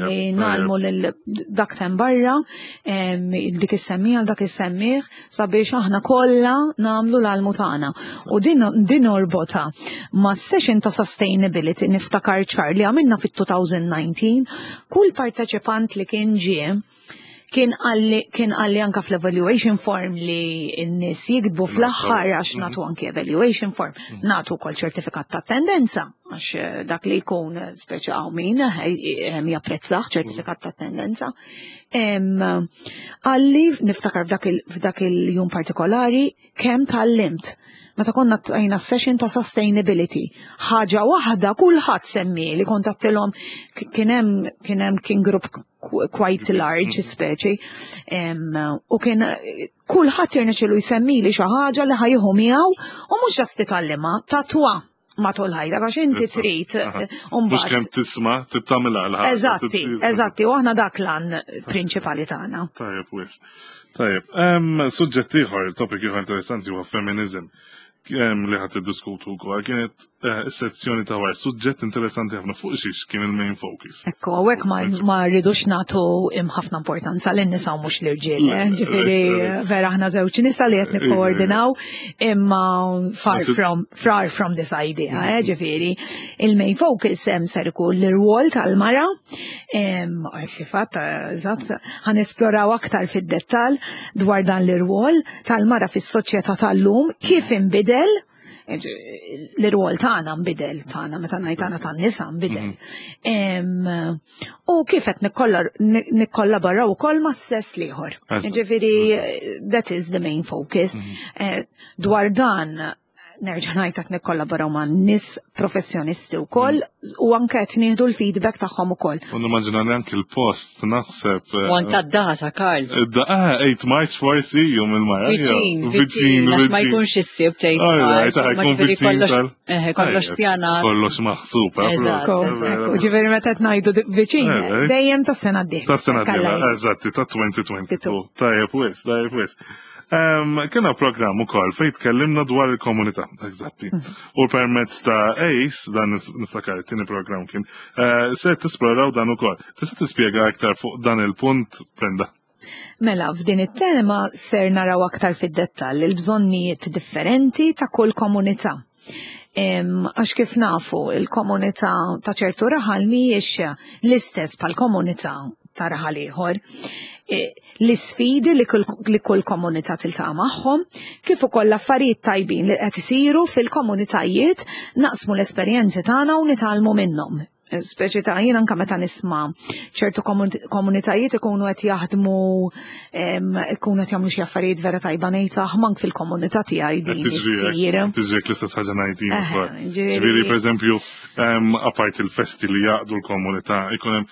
Li nagħlmu lil dak tem barra, dik is-semmija dak is-semmieħ sabiex aħna kollha nagħmlu l-almu tagħna. U din din orbota ma' session ta' sustainability niftakar ċar li għamilna fit-2019, kull parteċipant li kien ġie kien għalli kien għalli anka fl-evaluation form li n-nies jiktbu fl-aħħar għax mhm. natu anki evaluation form, mhm. natu kol ċertifikat ta' tendenza għax eh, dak li jkun eh, speċa għaw min eh, japprezzaħ ċertifikat ta' tendenza. Għalli niftakar f'dak il-jum partikolari kemm tgħallimt. Meta konna tajna session ta' sustainability. Ħaġa waħda kulħadd semmi li kont għattilhom kien hemm kien hemm kien grupp quite large mm. speċi. U kien kulħadd jirnexxielu jsemmi li xi ħaġa li ħajħu miegħu u mhux ġast titgħallimha, tatwa matul ħajta għax inti trid Mhux kemm tisma' tittamilha l Eżatti, eżatti, u aħna dak lan prinċipali tagħna. Tajjeb wis. Tajjeb, suġġett ieħor, topic ieħor interessanti huwa feminism li ħadd iddiskutu wkoll kienet eh, sezzjoni ta' wara suġġett interessanti ħafna fuq xiex kien il-main focus. Ekku, hawnhekk ma rridux nagħtu ħafna importanza lin nisa u mhux l-irġiel, eh, ġifieri vera aħna żewġ nisa li qed nikkoordinaw imma far from far from this idea, eh, ġifieri il-main focus hemm ser ikun l-irwol tal-mara, kif eżatt, ħan esploraw aktar fid-dettall dwar dan l-irwol tal-mara fis-soċjetà tal-lum, kif inbidel, l-irwol tagħna nbidel tagħna meta ngħid tagħna tan-nisa nbidel. Mhm. U kif qed nikkollaboraw ukoll mas-sess l-ieħor. Ġifieri that is the main focus. Mhm. Eh, dwar dan nerġa' ngħid qed nikkollaboraw ma' nies professjonisti wkoll mm. u anke qed nieħdu l-feedback tagħhom ukoll. U nimmaġina li anke l-post naħseb. Eh, u anke d-data, Karl. Ah, 8 March forsi jum il-mara. Viċin, viċin, għax ma jkunx issib tgħid March. Jkun viċin. Eh, kollox pjanat. Kollox maħsub. Eh, Ġifieri meta qed ngħidu viċin, dejjem tas-sena d-dieħla. Tas-sena d-dieħla, eżatti, ta' 2022. Tajjeb wis, tajjeb wis. Kena programm ukoll fejn tkellimna dwar il-komunità, eżatti. U permezz ta' ACE, dan niftakar it-tieni programm kien, eh, se tisploraw dan ukoll. Tista' tispjega aktar fuq dan il-punt, Brenda? Mela, f'din it-tema ser naraw aktar fid-dettall il-bżonnijiet differenti ta' kull komunità. Għax kif nafu, il-komunità ta' ċertu raħal mhijiex l-istess bħal komunità ta' raħal ieħor. E, l-isfidi li kull komunità tiltaqa' magħhom, kif ukoll l-affarijiet tajbin li qed isiru fil-komunitajiet naqsmu l-esperjenzi tagħna u nitgħallmu minnhom. Speċi ta' jien anka meta nisma' ċertu komunitajiet ikunu qed jaħdmu ikunu qed jagħmlu xi affarijiet vera tajba ngħid ah, mank fil-komunità tiegħi din issir. Tiġri l-istess ħaġa ngħid jien. Ġifieri pereżempju apart il-festi li jaqdu l-komunità ikun hemm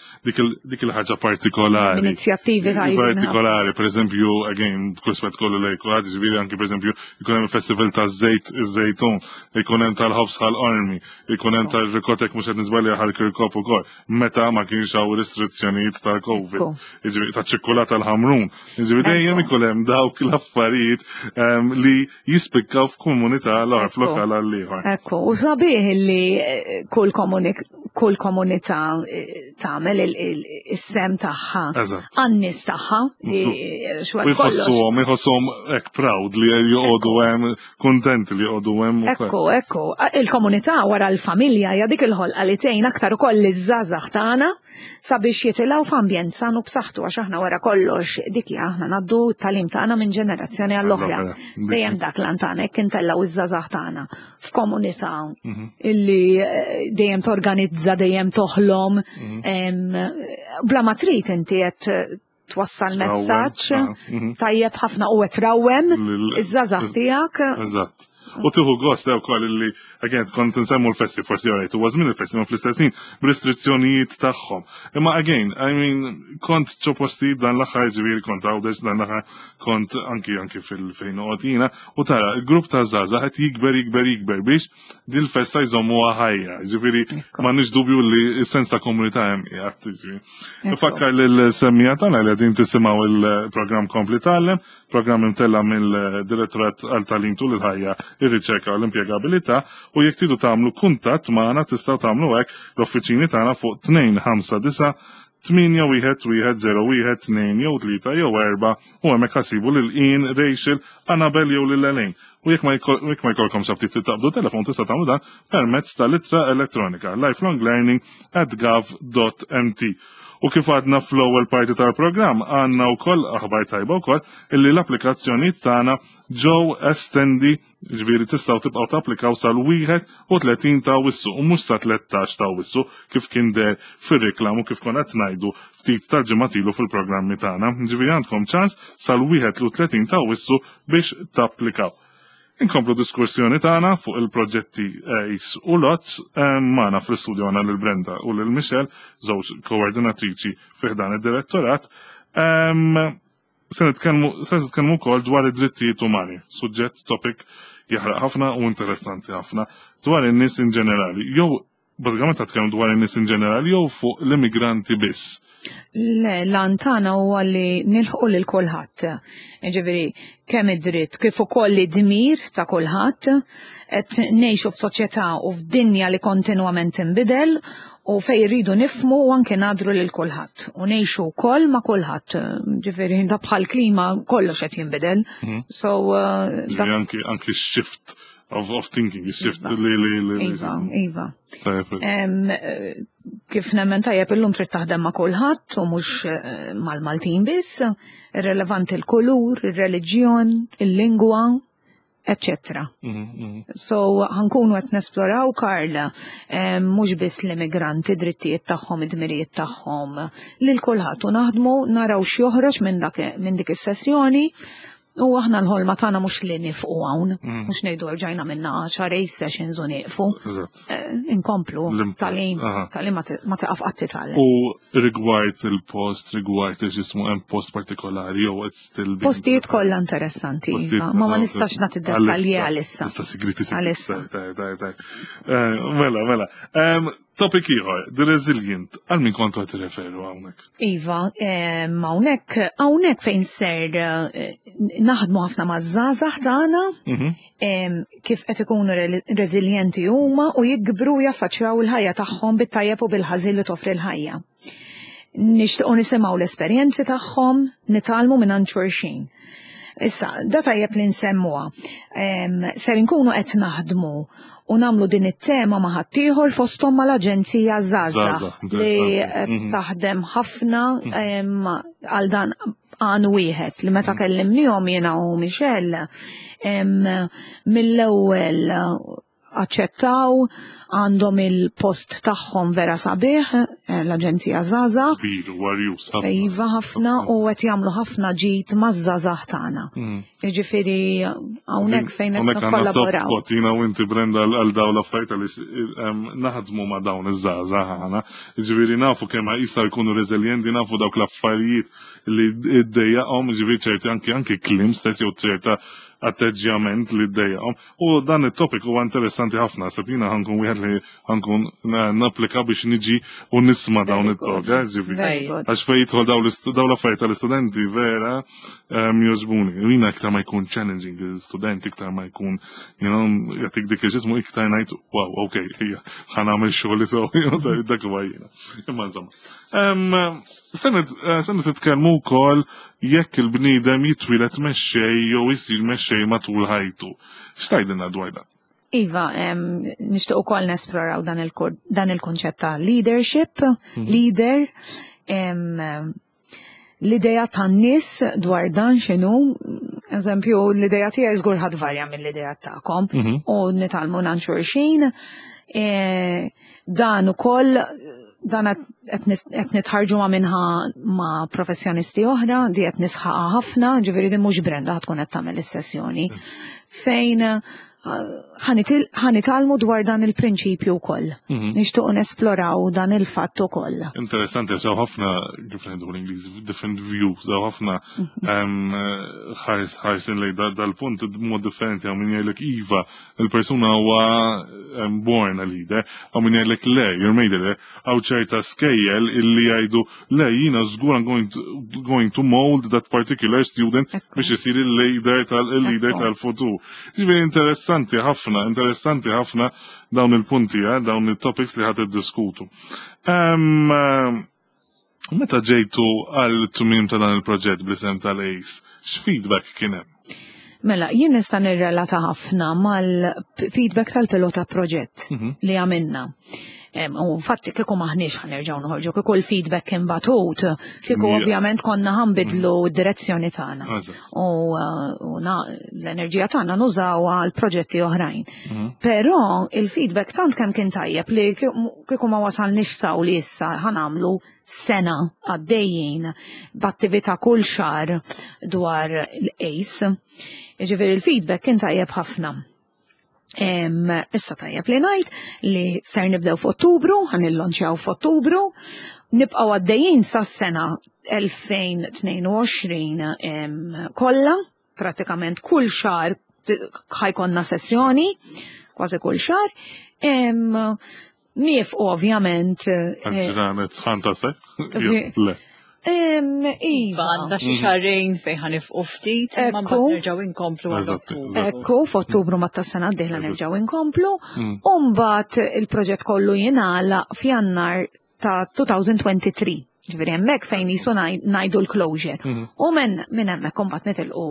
dik il-ħaġa partikolari. Inizjattivi tajba. Partikolari, pereżempju, again, b'kull spett kollu lejk kulħadd, ġifieri anki pereżempju ikun hemm il-festival taż-żejt iż-żejtun, ikun hemm tal-ħobż ħal-qormi, ikun hemm tar-rikotek mhux qed niżbalja ħal kirkop ukoll, meta ma kienx hawn restrizzjonijiet tal-COVID. Jiġifieri taċ-ċikkulata l-ħamrun. Jiġifieri dejjem ikun hemm dawk l-affarijiet ehm, li jispikkaw f'komunità l-oħra f'lokal għal ieħor. Ekku, u sabiħ li eh, kull kull komunità eh, tagħmel is-sem tagħha għan-nies tagħha li xwar Jħossuhom, jħossuhom hekk proud li joqogħdu hemm Kontent li joqogħdu hemm. Ekku, ekku. Il-komunità wara l-familja hija dik il-ħolqa li tgħin aktar ukoll liż-żgħażagħ tagħna sabiex jitilgħu f'ambjent san u b'saħħtu għax aħna wara kollox dik hija aħna ngħaddu t-tagħlim tagħna minn ġenerazzjoni għall-oħra. Dejjem dak l tagħna hekk intellgħu iż-żgħażagħ tagħna f'komunità mhm. illi eh, dejjem torganizza, dejjem toħlom. Mhm. Bla ma trid inti qed twassal messaġġ ah, mhm. tajjeb ħafna u qed rawwem iż-żgħażagħ tiegħek. Eżatt. U tieħu gost ukoll li again kont nsemmu l-festi forsi alright, huwa żmien il-festi ma fl-istess ħin b'restrizzjonijiet tagħhom. Imma again, I mean, kont ġo postijiet dan l-aħħar ġifieri kont Għawdex dan l-aħħar kont anki anki fil-fejn noqgħod jiena u tara il-grupp ta' żgħażagħ qed jikber jikber jikber biex din il-festa jżommuha ħajja. Ġifieri m'għandniex dubju li s-sens ta' komunità hemm qiegħed. ġifieri. Nfakkar lil-semmija tagħna li qegħdin tisimgħu il-programm Kompli Tgħallem, programm imtella' mill-Direttorat għal Tagħlim Tul il-Ħajja, ir-Riċerka u l-Impjegabilità u jekk tridu tagħmlu kuntatt magħna tistgħu tagħmlu hekk l-uffiċini tagħna fuq 259 8 1 1 0 1 2 jew 3 jew 4 u hemmhekk ħa ssibu lil Ian, Rachel, Annabel jew lil Elaine. U jekk ma jkollkomx aptit taqbdu telefon tista' tagħmlu dan permezz tal-ittra elettronika lifelonglearning@gov.mt. U kif għadna fl-ewwel parti tal-programm għandna wkoll aħbar tajba wkoll illi l-applikazzjonijiet tagħna ġew estendi ġifieri tistgħu tibqgħu tapplikaw sal-31 ta' Awwissu u mhux sa 13 ta' Awwissu kif kien deher fir-reklam u kif konna qed ngħidu ftit tal-ġimgħat ilu fil-programmi tagħna. Ġifieri għandkom ċans sal-31 ta' Awwissu biex tapplikaw. Inkomplu diskussjoni tagħna fuq il-proġetti ACE u LOTS magħna fl-istudio għandna lil Brenda u lil Michelle, żewġ koordinatriċi fi ħdan id-direttorat. Se nitkellmu wkoll dwar id-drittijiet umani, suġġett topic jaħraq ħafna u interessanti ħafna dwar in-nies in ġenerali. Jew Bażikament qed tkellmu dwar in-nies in ġenerali jew fuq l-immigranti biss? Le, l-għan tagħna huwa li nilħqu lil kulħadd. Jiġifieri kemm id-dritt kif ukoll id-dmir ta' kulħadd qed ngħixu f'soċjetà u f'dinja li kontinwament tinbidel u fejn irridu nifhmu u anke ngħadru lil kulħadd u ngħixu wkoll ma' kulħadd. Ġifieri da bħal klima kollox qed jinbidel. So anki anki shift of thinking, shift iva. li li li. Iva, iva. Kif nemmen tajjeb illum trid taħdem ma' kulħadd u mhux eh, mal-Maltin biss, irrelevanti l-kulur, ir-reliġjon, il-lingwa, etc. Mhm, mhm. So ħankunu qed nesploraw Karl mhux biss l-immigranti drittijiet tagħhom, id-dmirijiet tagħhom lil kulħadd u naħdmu naraw x'joħroġ minn dak minn dik is-sessjoni U aħna l-ħolma tagħna mhux li nifqu hawn, mm. mhux ngħidu rġajna minna għaxar sessions u nieqfu. Eh, inkomplu talim, talim ma tiqaf qatt titgħallem. U rigward il-post, rigward il-ġismu hemm post partikolari jew qed still Postijiet kollha interessanti, iva, ma ma nistax nagħti dettalji għalissa. Issa sigriti Għalissa. Eh, mela, mela. Topic ieħor, the resilient, għal min kontu qed tirreferu hawnhekk? Iva, hawnhekk hawnhekk fejn ser eh, naħdmu ħafna maż-żgħażagħ tagħna mhm. kif qed ikunu reżiljenti huma u jikbru jaffaċċjaw il-ħajja tagħhom bit-tajjeb u bil-ħażin li toffri l-ħajja. Nixtiequ nisimgħu l-esperjenzi tagħhom, nitgħallmu minn xulxin. Issa, da tajjeb li nsemmuha. Ser inkunu qed naħdmu u nagħmlu din it-tema ma' ħaddieħor fosthom mal-Aġenzija Żgħażagħ li mhm. taħdem ħafna mhm. għal dan għan wieħed li meta mhm. kellimnihom jiena u Michelle mill-ewwel aċċettaw għandhom il-post tagħhom vera sabiħ, eh, l-Aġenzija Żgħażagħ. Kbir, warjus ħafna. Iva ħafna u qed jagħmlu ħafna ġid maż-żgħażagħ tagħna. Mm. Jiġifieri hawnhekk fejn qed nikkollaboraw. Spot jiena u inti Brenda għal dawn l-affarijiet għaliex naħdmu ma' dawn iż-żgħażagħ aħna. Jiġifieri nafu kemm jistgħu jkunu reżiljenti, nafu dawk l-affarijiet li ddejjaqhom, jiġifieri ċerti anki anki kliem stess jew ċerta atteġġjament li ddejjaqhom. U dan it-topic huwa interessanti ħafna, seb jiena ħankun wieħed li ħankun napplika biex niġi u nisma' dawn it-talk, eh, ġifieri. Għax fejn jidħol dawn l-affarijiet tal-istudenti vera ehm, jogħġbuni. U jiena iktar ma jkun challenging l-istudent, iktar ma jkun, you know, jagħtik dik il-ġismu iktar ngħid, wow, ok, ħa nagħmel xogħol sew, dak huwa jiena. Imma insomma. Ehm, se eh, nitkellmu wkoll jekk il-bniedem jitwieled mexxej jew isir mexxej matul ħajtu. X'tgħidilna dwar dan? Iva, nixtieq ukoll nesploraw dan il-kunċett ta' leadership, mhm. leader, l-idea tan-nies dwar dan x'inhu, eżempju, l-idea tiegħi żgur ħadd varja mill-idea tagħkom mhm. u nitgħallmu nan xulxin. E, dan ukoll dan qed nitħarġu ma' minnha ma' professjonisti oħra, di qed nisħaqha ħafna, ġifieri din mhux Brenda tkun qed tagħmel is-sessjoni. Fejn Ħa nitgħallmu dwar dan il-prinċipju wkoll. Nixtiequ nesploraw dan il-fatt ukoll. Interessanti, hawn ħafna, kif ngħidu l-Ingliż, different views, hawn ħafna ħarsin lejn dal-punt mod differenti, hawn min jgħidlek iva, il-persuna huwa born a leader, hawn min jgħidlek le, you're made a leader, hawn ċerta skejjel illi jgħidu le, jiena żgur I'm going to mold that particular student biex isir il-leader tal-leader tal-futur. Ġifieri interessanti ħafna, interessanti ħafna dawn il-punti, dawn il-topics li ħa tiddiskutu. Meta ġejtu għal tmiem ta' dan il-proġett bl-isem tal-ACE, x'feedback kien hemm? Mela, jien nista' nirrelata ħafna mal-feedback tal-pilota proġett li għamilna. U infatti kieku maħniex ħa nerġgħu noħorġu, kieku l-feedback kien batut, kieku ovvjament konna ħa nbiddlu d-direzzjoni tagħna. U l-enerġija tagħna nużawha għal proġetti oħrajn. Però il-feedback tant kemm kien tajjeb li kieku ma wasalniex s'hawn li issa ħa nagħmlu sena għaddejjin b'attività kull xahar dwar l-ACE. Ġifieri il-feedback kien tajjeb ħafna. Issa tajjeb li ngħid li ser nibdew f'Ottubru, ħa nillonċjaw f'Ottubru, nibqgħu għaddejjin sas-sena 2022 kollha, pratikament kull xahar ħa jkollna sessjoni, kważi kull xahar. Nieqfu ovvjament. Ġranet sħan ta' se? Le. Iva. Għandna xi xahrejn fejn ħa nieqfu ftit, imma mbagħad nerġgħu inkomplu għal Ottubru. Ekku, f'Ottubru ma tas-sena d-dieħla nerġgħu inkomplu. U mbagħad il-proġett kollu jingħalaq f'Jannar ta' 2023. Ġifieri hemmhekk fejn jisu ngħidu l-closure. U minn hemmhekk imbagħad nitilqu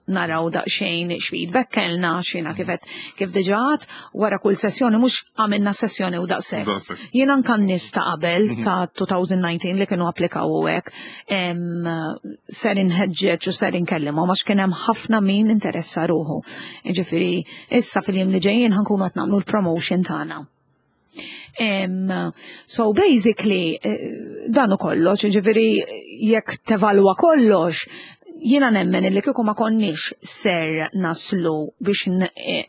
naraw daqsxejn x'feedback kellna, xina kifet kif diġà għedt, wara kull sessjoni mhux għamilna sessjoni u daqshekk. Daqshekk. Jien anka n-nies ta' qabel ta' 2019 li kienu applikaw u hekk, ser inħeġġeġ u ser inkellimhom għax kien hemm ħafna min interessa ruħu. Ġifieri issa fil-jiem li ġejjin ħa nkunu qed nagħmlu l-promotion tagħna. So basically, dan u kollox, ġifieri jekk tevalwa kollox, jiena nemmen li kieku ma konniex ser naslu biex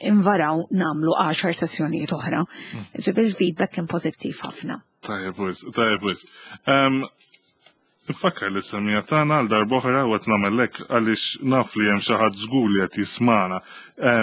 invaraw nagħmlu 10 sessjonijiet oħra. Ġifieri il-feedback kien pożittiv ħafna. Tajjeb wisq, tajjeb wisq. Nfakkar li s-semmiegħa tagħna għal darb'oħra u qed nagħmel hekk għaliex naf li hemm xi ħadd żgur li qed jismana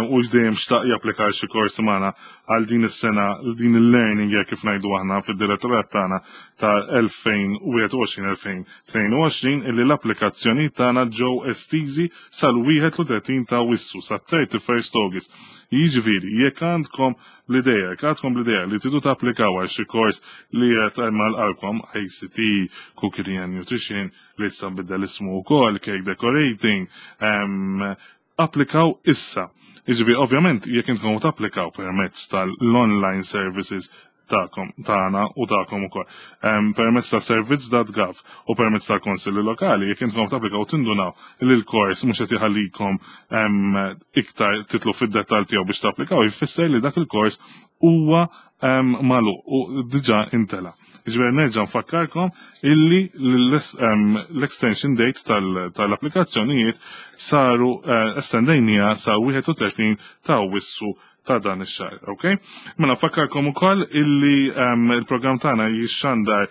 u dejjem xtaq japplika xi kors magħna għal din is-sena, din il-learning year kif ngħidu aħna fid-direttorat tagħna ta' 2021-2022 illi l-applikazzjoni tagħna ġew estiżi sal-31 ta' Awwissu, sa 31st August. Jiġifieri, jekk għandkom l-ideja, jekk għandkom l-ideja li tridu tapplikaw għal xi kors li qed għal qalbkom, ICT, Cookery and Nutrition, li issa nbiddel ismu wkoll, Cake Decorating, applikaw issa. Jiġifieri, ovvjament, jekk intkom tapplikaw permezz tal-online services tagħkom, tagħna u tagħkom ukoll. Permezz ta' servizz.gov u permezz tal-konsilli lokali, jekk intkom tapplikaw tindunaw li l-kors mhux qed jħallikom iktar titlu fid-dettall tiegħu biex tapplikaw, jfisser li dak il-kors huwa magħluq u diġà intela. Ġifieri nerġa' nfakkarkom illi l-extension date tal-applikazzjonijiet saru estendejnija sa 31 ta' Awwissu ta' dan ix-xahar, ok? Mela nfakkarkom ukoll illi il-programm tagħna jixxandar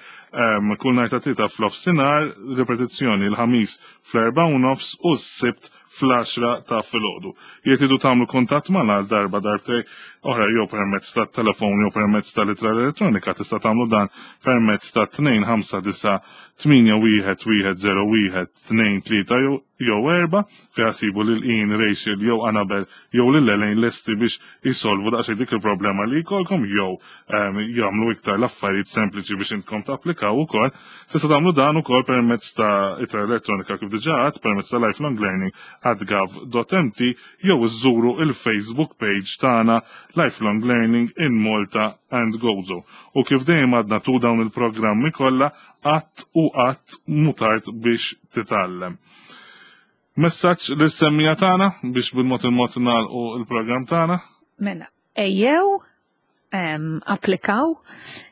kull nhar ta' Tlieta f'nofsinhar, ripetizzjoni l-Ħamis fl-4:30 u s-Sibt fl-10 ta' filgħodu. Jekk tridu tagħmlu kuntatt magħna għal darba darbtej oħra jew permezz ta' telefon jew permezz ta' ittra elettronika tista' tagħmlu dan permezz ta' 259 8 1 1 0 1 2 3 jew 4 fejn ssibu lil Ian, Rachel jew Annabel jew lil Elaine lesti biex jisolvu daqsxejn dik il-problema li jkollkom jew jagħmlu iktar l-affarijiet sempliċi biex intkom tapplikaw ukoll. Tista' tagħmlu dan ukoll permezz ta' ittra elettronika kif diġà għedt, permezz ta' lifelonglearning@gov.mt jew iżżuru il-Facebook page tagħna Lifelong Learning in Malta and Gozo. U kif dejjem għadna tu dawn il-programmi kollha, qatt u qatt mhu tard biex titgħallem. Messaġġ lis-semmiegħa tagħna biex bil-mod il-mod nagħlqu il-programm tagħna? Mela, ejjew. Applikaw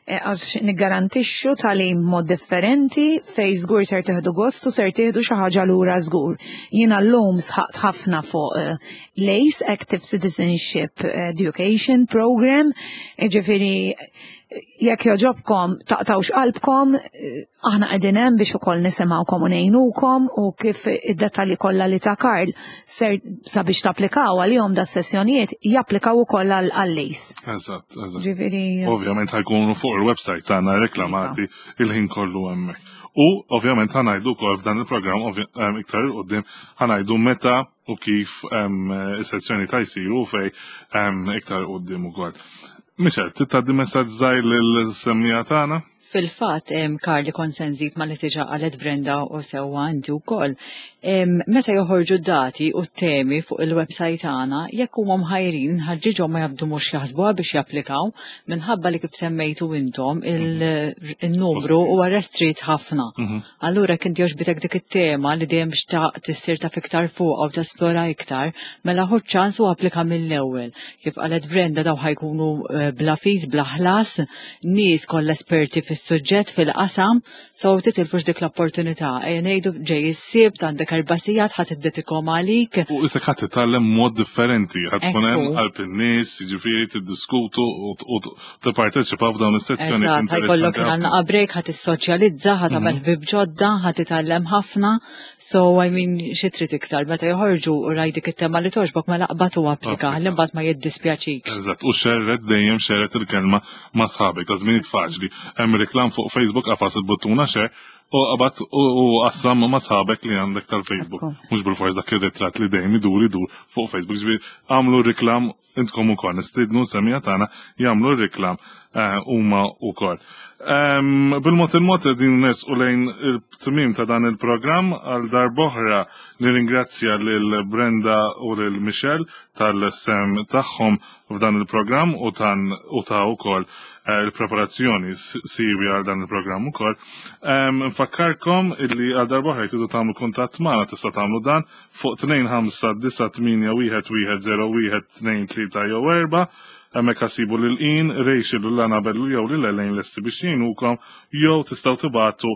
eh, għax niggarantixxu tagħlim mod differenti fej żgur ser tieħdu gost u ser tieħdu xi ħaġa lura żgur. Jiena llum sħaqt ħafna fuq eh, l-ACE Active Citizenship Education Program, ġifieri jekk joġobkom taqtawx qalbkom, aħna qegħdin hemm biex ukoll nisimgħukom u ngħinukom u kif id-dettalji kollha li ta' Karl ser sabiex tapplikaw għalihom da sessjonijiet japplikaw ukoll għal-lease. Eżatt, eżatt. Ġifieri. Ovvjament ħajkunu fuq il-website tagħna reklamati iva. il-ħin kollu hemmhekk. U ovvjament ħanajdu wkoll f'dan il-programm eh, iktar il qudiem ħanajdu meta u kif is-sezzjoni ta' jsiru fej iktar qudiem ukoll. Michel, titgħaddi messaġġ żgħir lill-semmija tagħna? Fil-fatt, Karli kont se nżid ma li tiġa qalet Brenda u sewwa inti wkoll. Meta joħorġu d-dati u t-temi fuq il-website tagħna, jekk huma mħajrin nħaġġiġhom ma jabdu mhux jaħsbuha biex japplikaw minħabba li kif semmejtu intom il-numru huwa restrit ħafna. Mhm. Allura jekk inti għoġbitek dik it-tema li dejjem xtaqt issir taf iktar fuqha u tesplora iktar, mela ħu ċans u applika mill-ewwel. Kif qalet Brenda daw ħajkunu eh, bla fees, bla ħlas, nies kollha esperti fis-suġġett fil-qasam, so titilfux dik l-opportunità. Ejja ngħidu ġej is-sibt għandek erba' sigħat ħadd iddedikhom għalik. U isek ħadd titgħallem mod differenti, ħadd tkun hemm qalb in-nies, jiġifieri tiddiskutu u tipparteċipa f'dawn is-sezzjoni. Eżatt, ħajkollok għandna break, ħadd tissoċjalizza, ħadd tagħmel mhm. ħbieb ġodda, ħadd titgħallem ħafna. So I mean xi trid iktar meta joħorġu u raj dik it-tema li toġbok mela qbad u applika, li mbagħad ma jiddispjaċikx. Eżatt, u xerret dejjem xerret il-kelma ma' sħabek, ta' żminijiet faċli. Hemm reklam fuq Facebook qafas il-buttuna share u qabad u qassam ma' sħabek li għandek tal-Facebook. Mhux bil-fors dak ir-ritratt li dejjem idur idur fuq Facebook. Ġifieri għamlu reklam intkom ukoll nistidnu semija tagħna jagħmlu r-reklam eh, huma wkoll. Ehm, bil-mod il-mod qegħdin nersqu lejn il-tmiem ta' dan il-programm għal darb'oħra nirringrazzja lil Brenda u lil Michelle tal-sem tagħhom f'dan il-programm u tan u ta' ukoll eh, il-preparazzjoni siwi għal dan il-programm ukoll. Ehm, nfakkarkom illi għal darb'oħra jtidu tagħmlu kuntatt magħna tista' tagħmlu dan fuq 259110123 jew 4 hemmhekk ħassibu lil Ian, Rachel u l-Anabel jew lil Elaine lesti biex jgħinukom jew tistgħu tibagħtu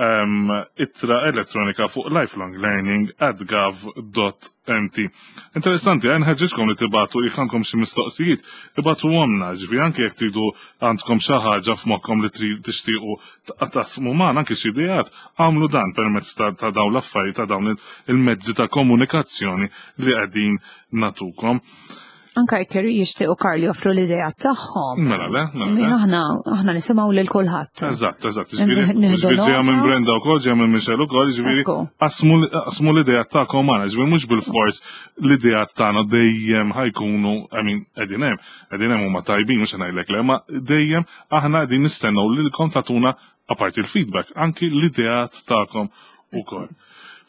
ehm, ittra elettronika fuq lifelonglearning@gov.mt. Interessanti, għan ħeġġeġkom li tibatu jekk għandkom xi mistoqsijiet, ibatu għomna, ġifieri anke jekk tridu għandkom xi ħaġa f'moħħkom li tixtiequ taqsmu magħna anke xi ideat, għamlu dan permezz ta' dawn l-affarijiet ta' dawn il-mezzi ta' komunikazzjoni li qegħdin natukom. Anka jekk jixtiequ Karl joffru l-idea tagħhom. Mela le, mela le. Aħna aħna nisimgħu lil kulħadd. Eżatt, eżatt. Ġifieri ġejja minn Brenda wkoll, ġejja minn Michelle ukoll, ġifieri qasmu l-idea tagħkom magħna, ġifieri mhux bil-fors l-idea tagħna dejjem ħajkunu, I mean, qegħdin hemm, qegħdin hemm huma tajbin mhux ngħidlek le, ma dejjem aħna qegħdin nistennew lilkom tagħtuna apparti l-feedback, anki l-ideat tagħkom ukoll.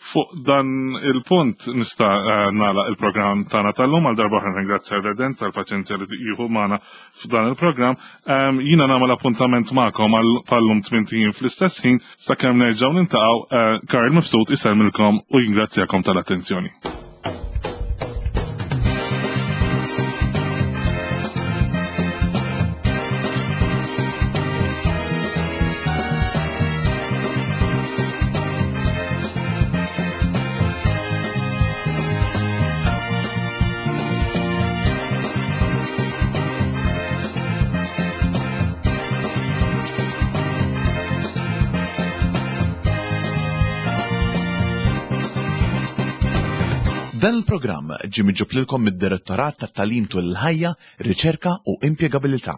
Fuq dan il-punt nista' eh, nagħlaq il-programm tagħna tal-lum għal darba oħra ringrazzja Redent tal-paċenzja li jieħu magħna f'dan il-programm. Ehm, jiena nagħmel appuntament magħkom għal pallum tmien fl-istess ħin sakemm nerġgħu nintaqgħu eh, Karl Mifsud isellmilkom u jingrazzjakom tal-attenzjoni. Dan il-programm ġie miġġub lilkom mid-Direttorat tat-Tagħlim tul il-Ħajja, Riċerka u Impjegabilità.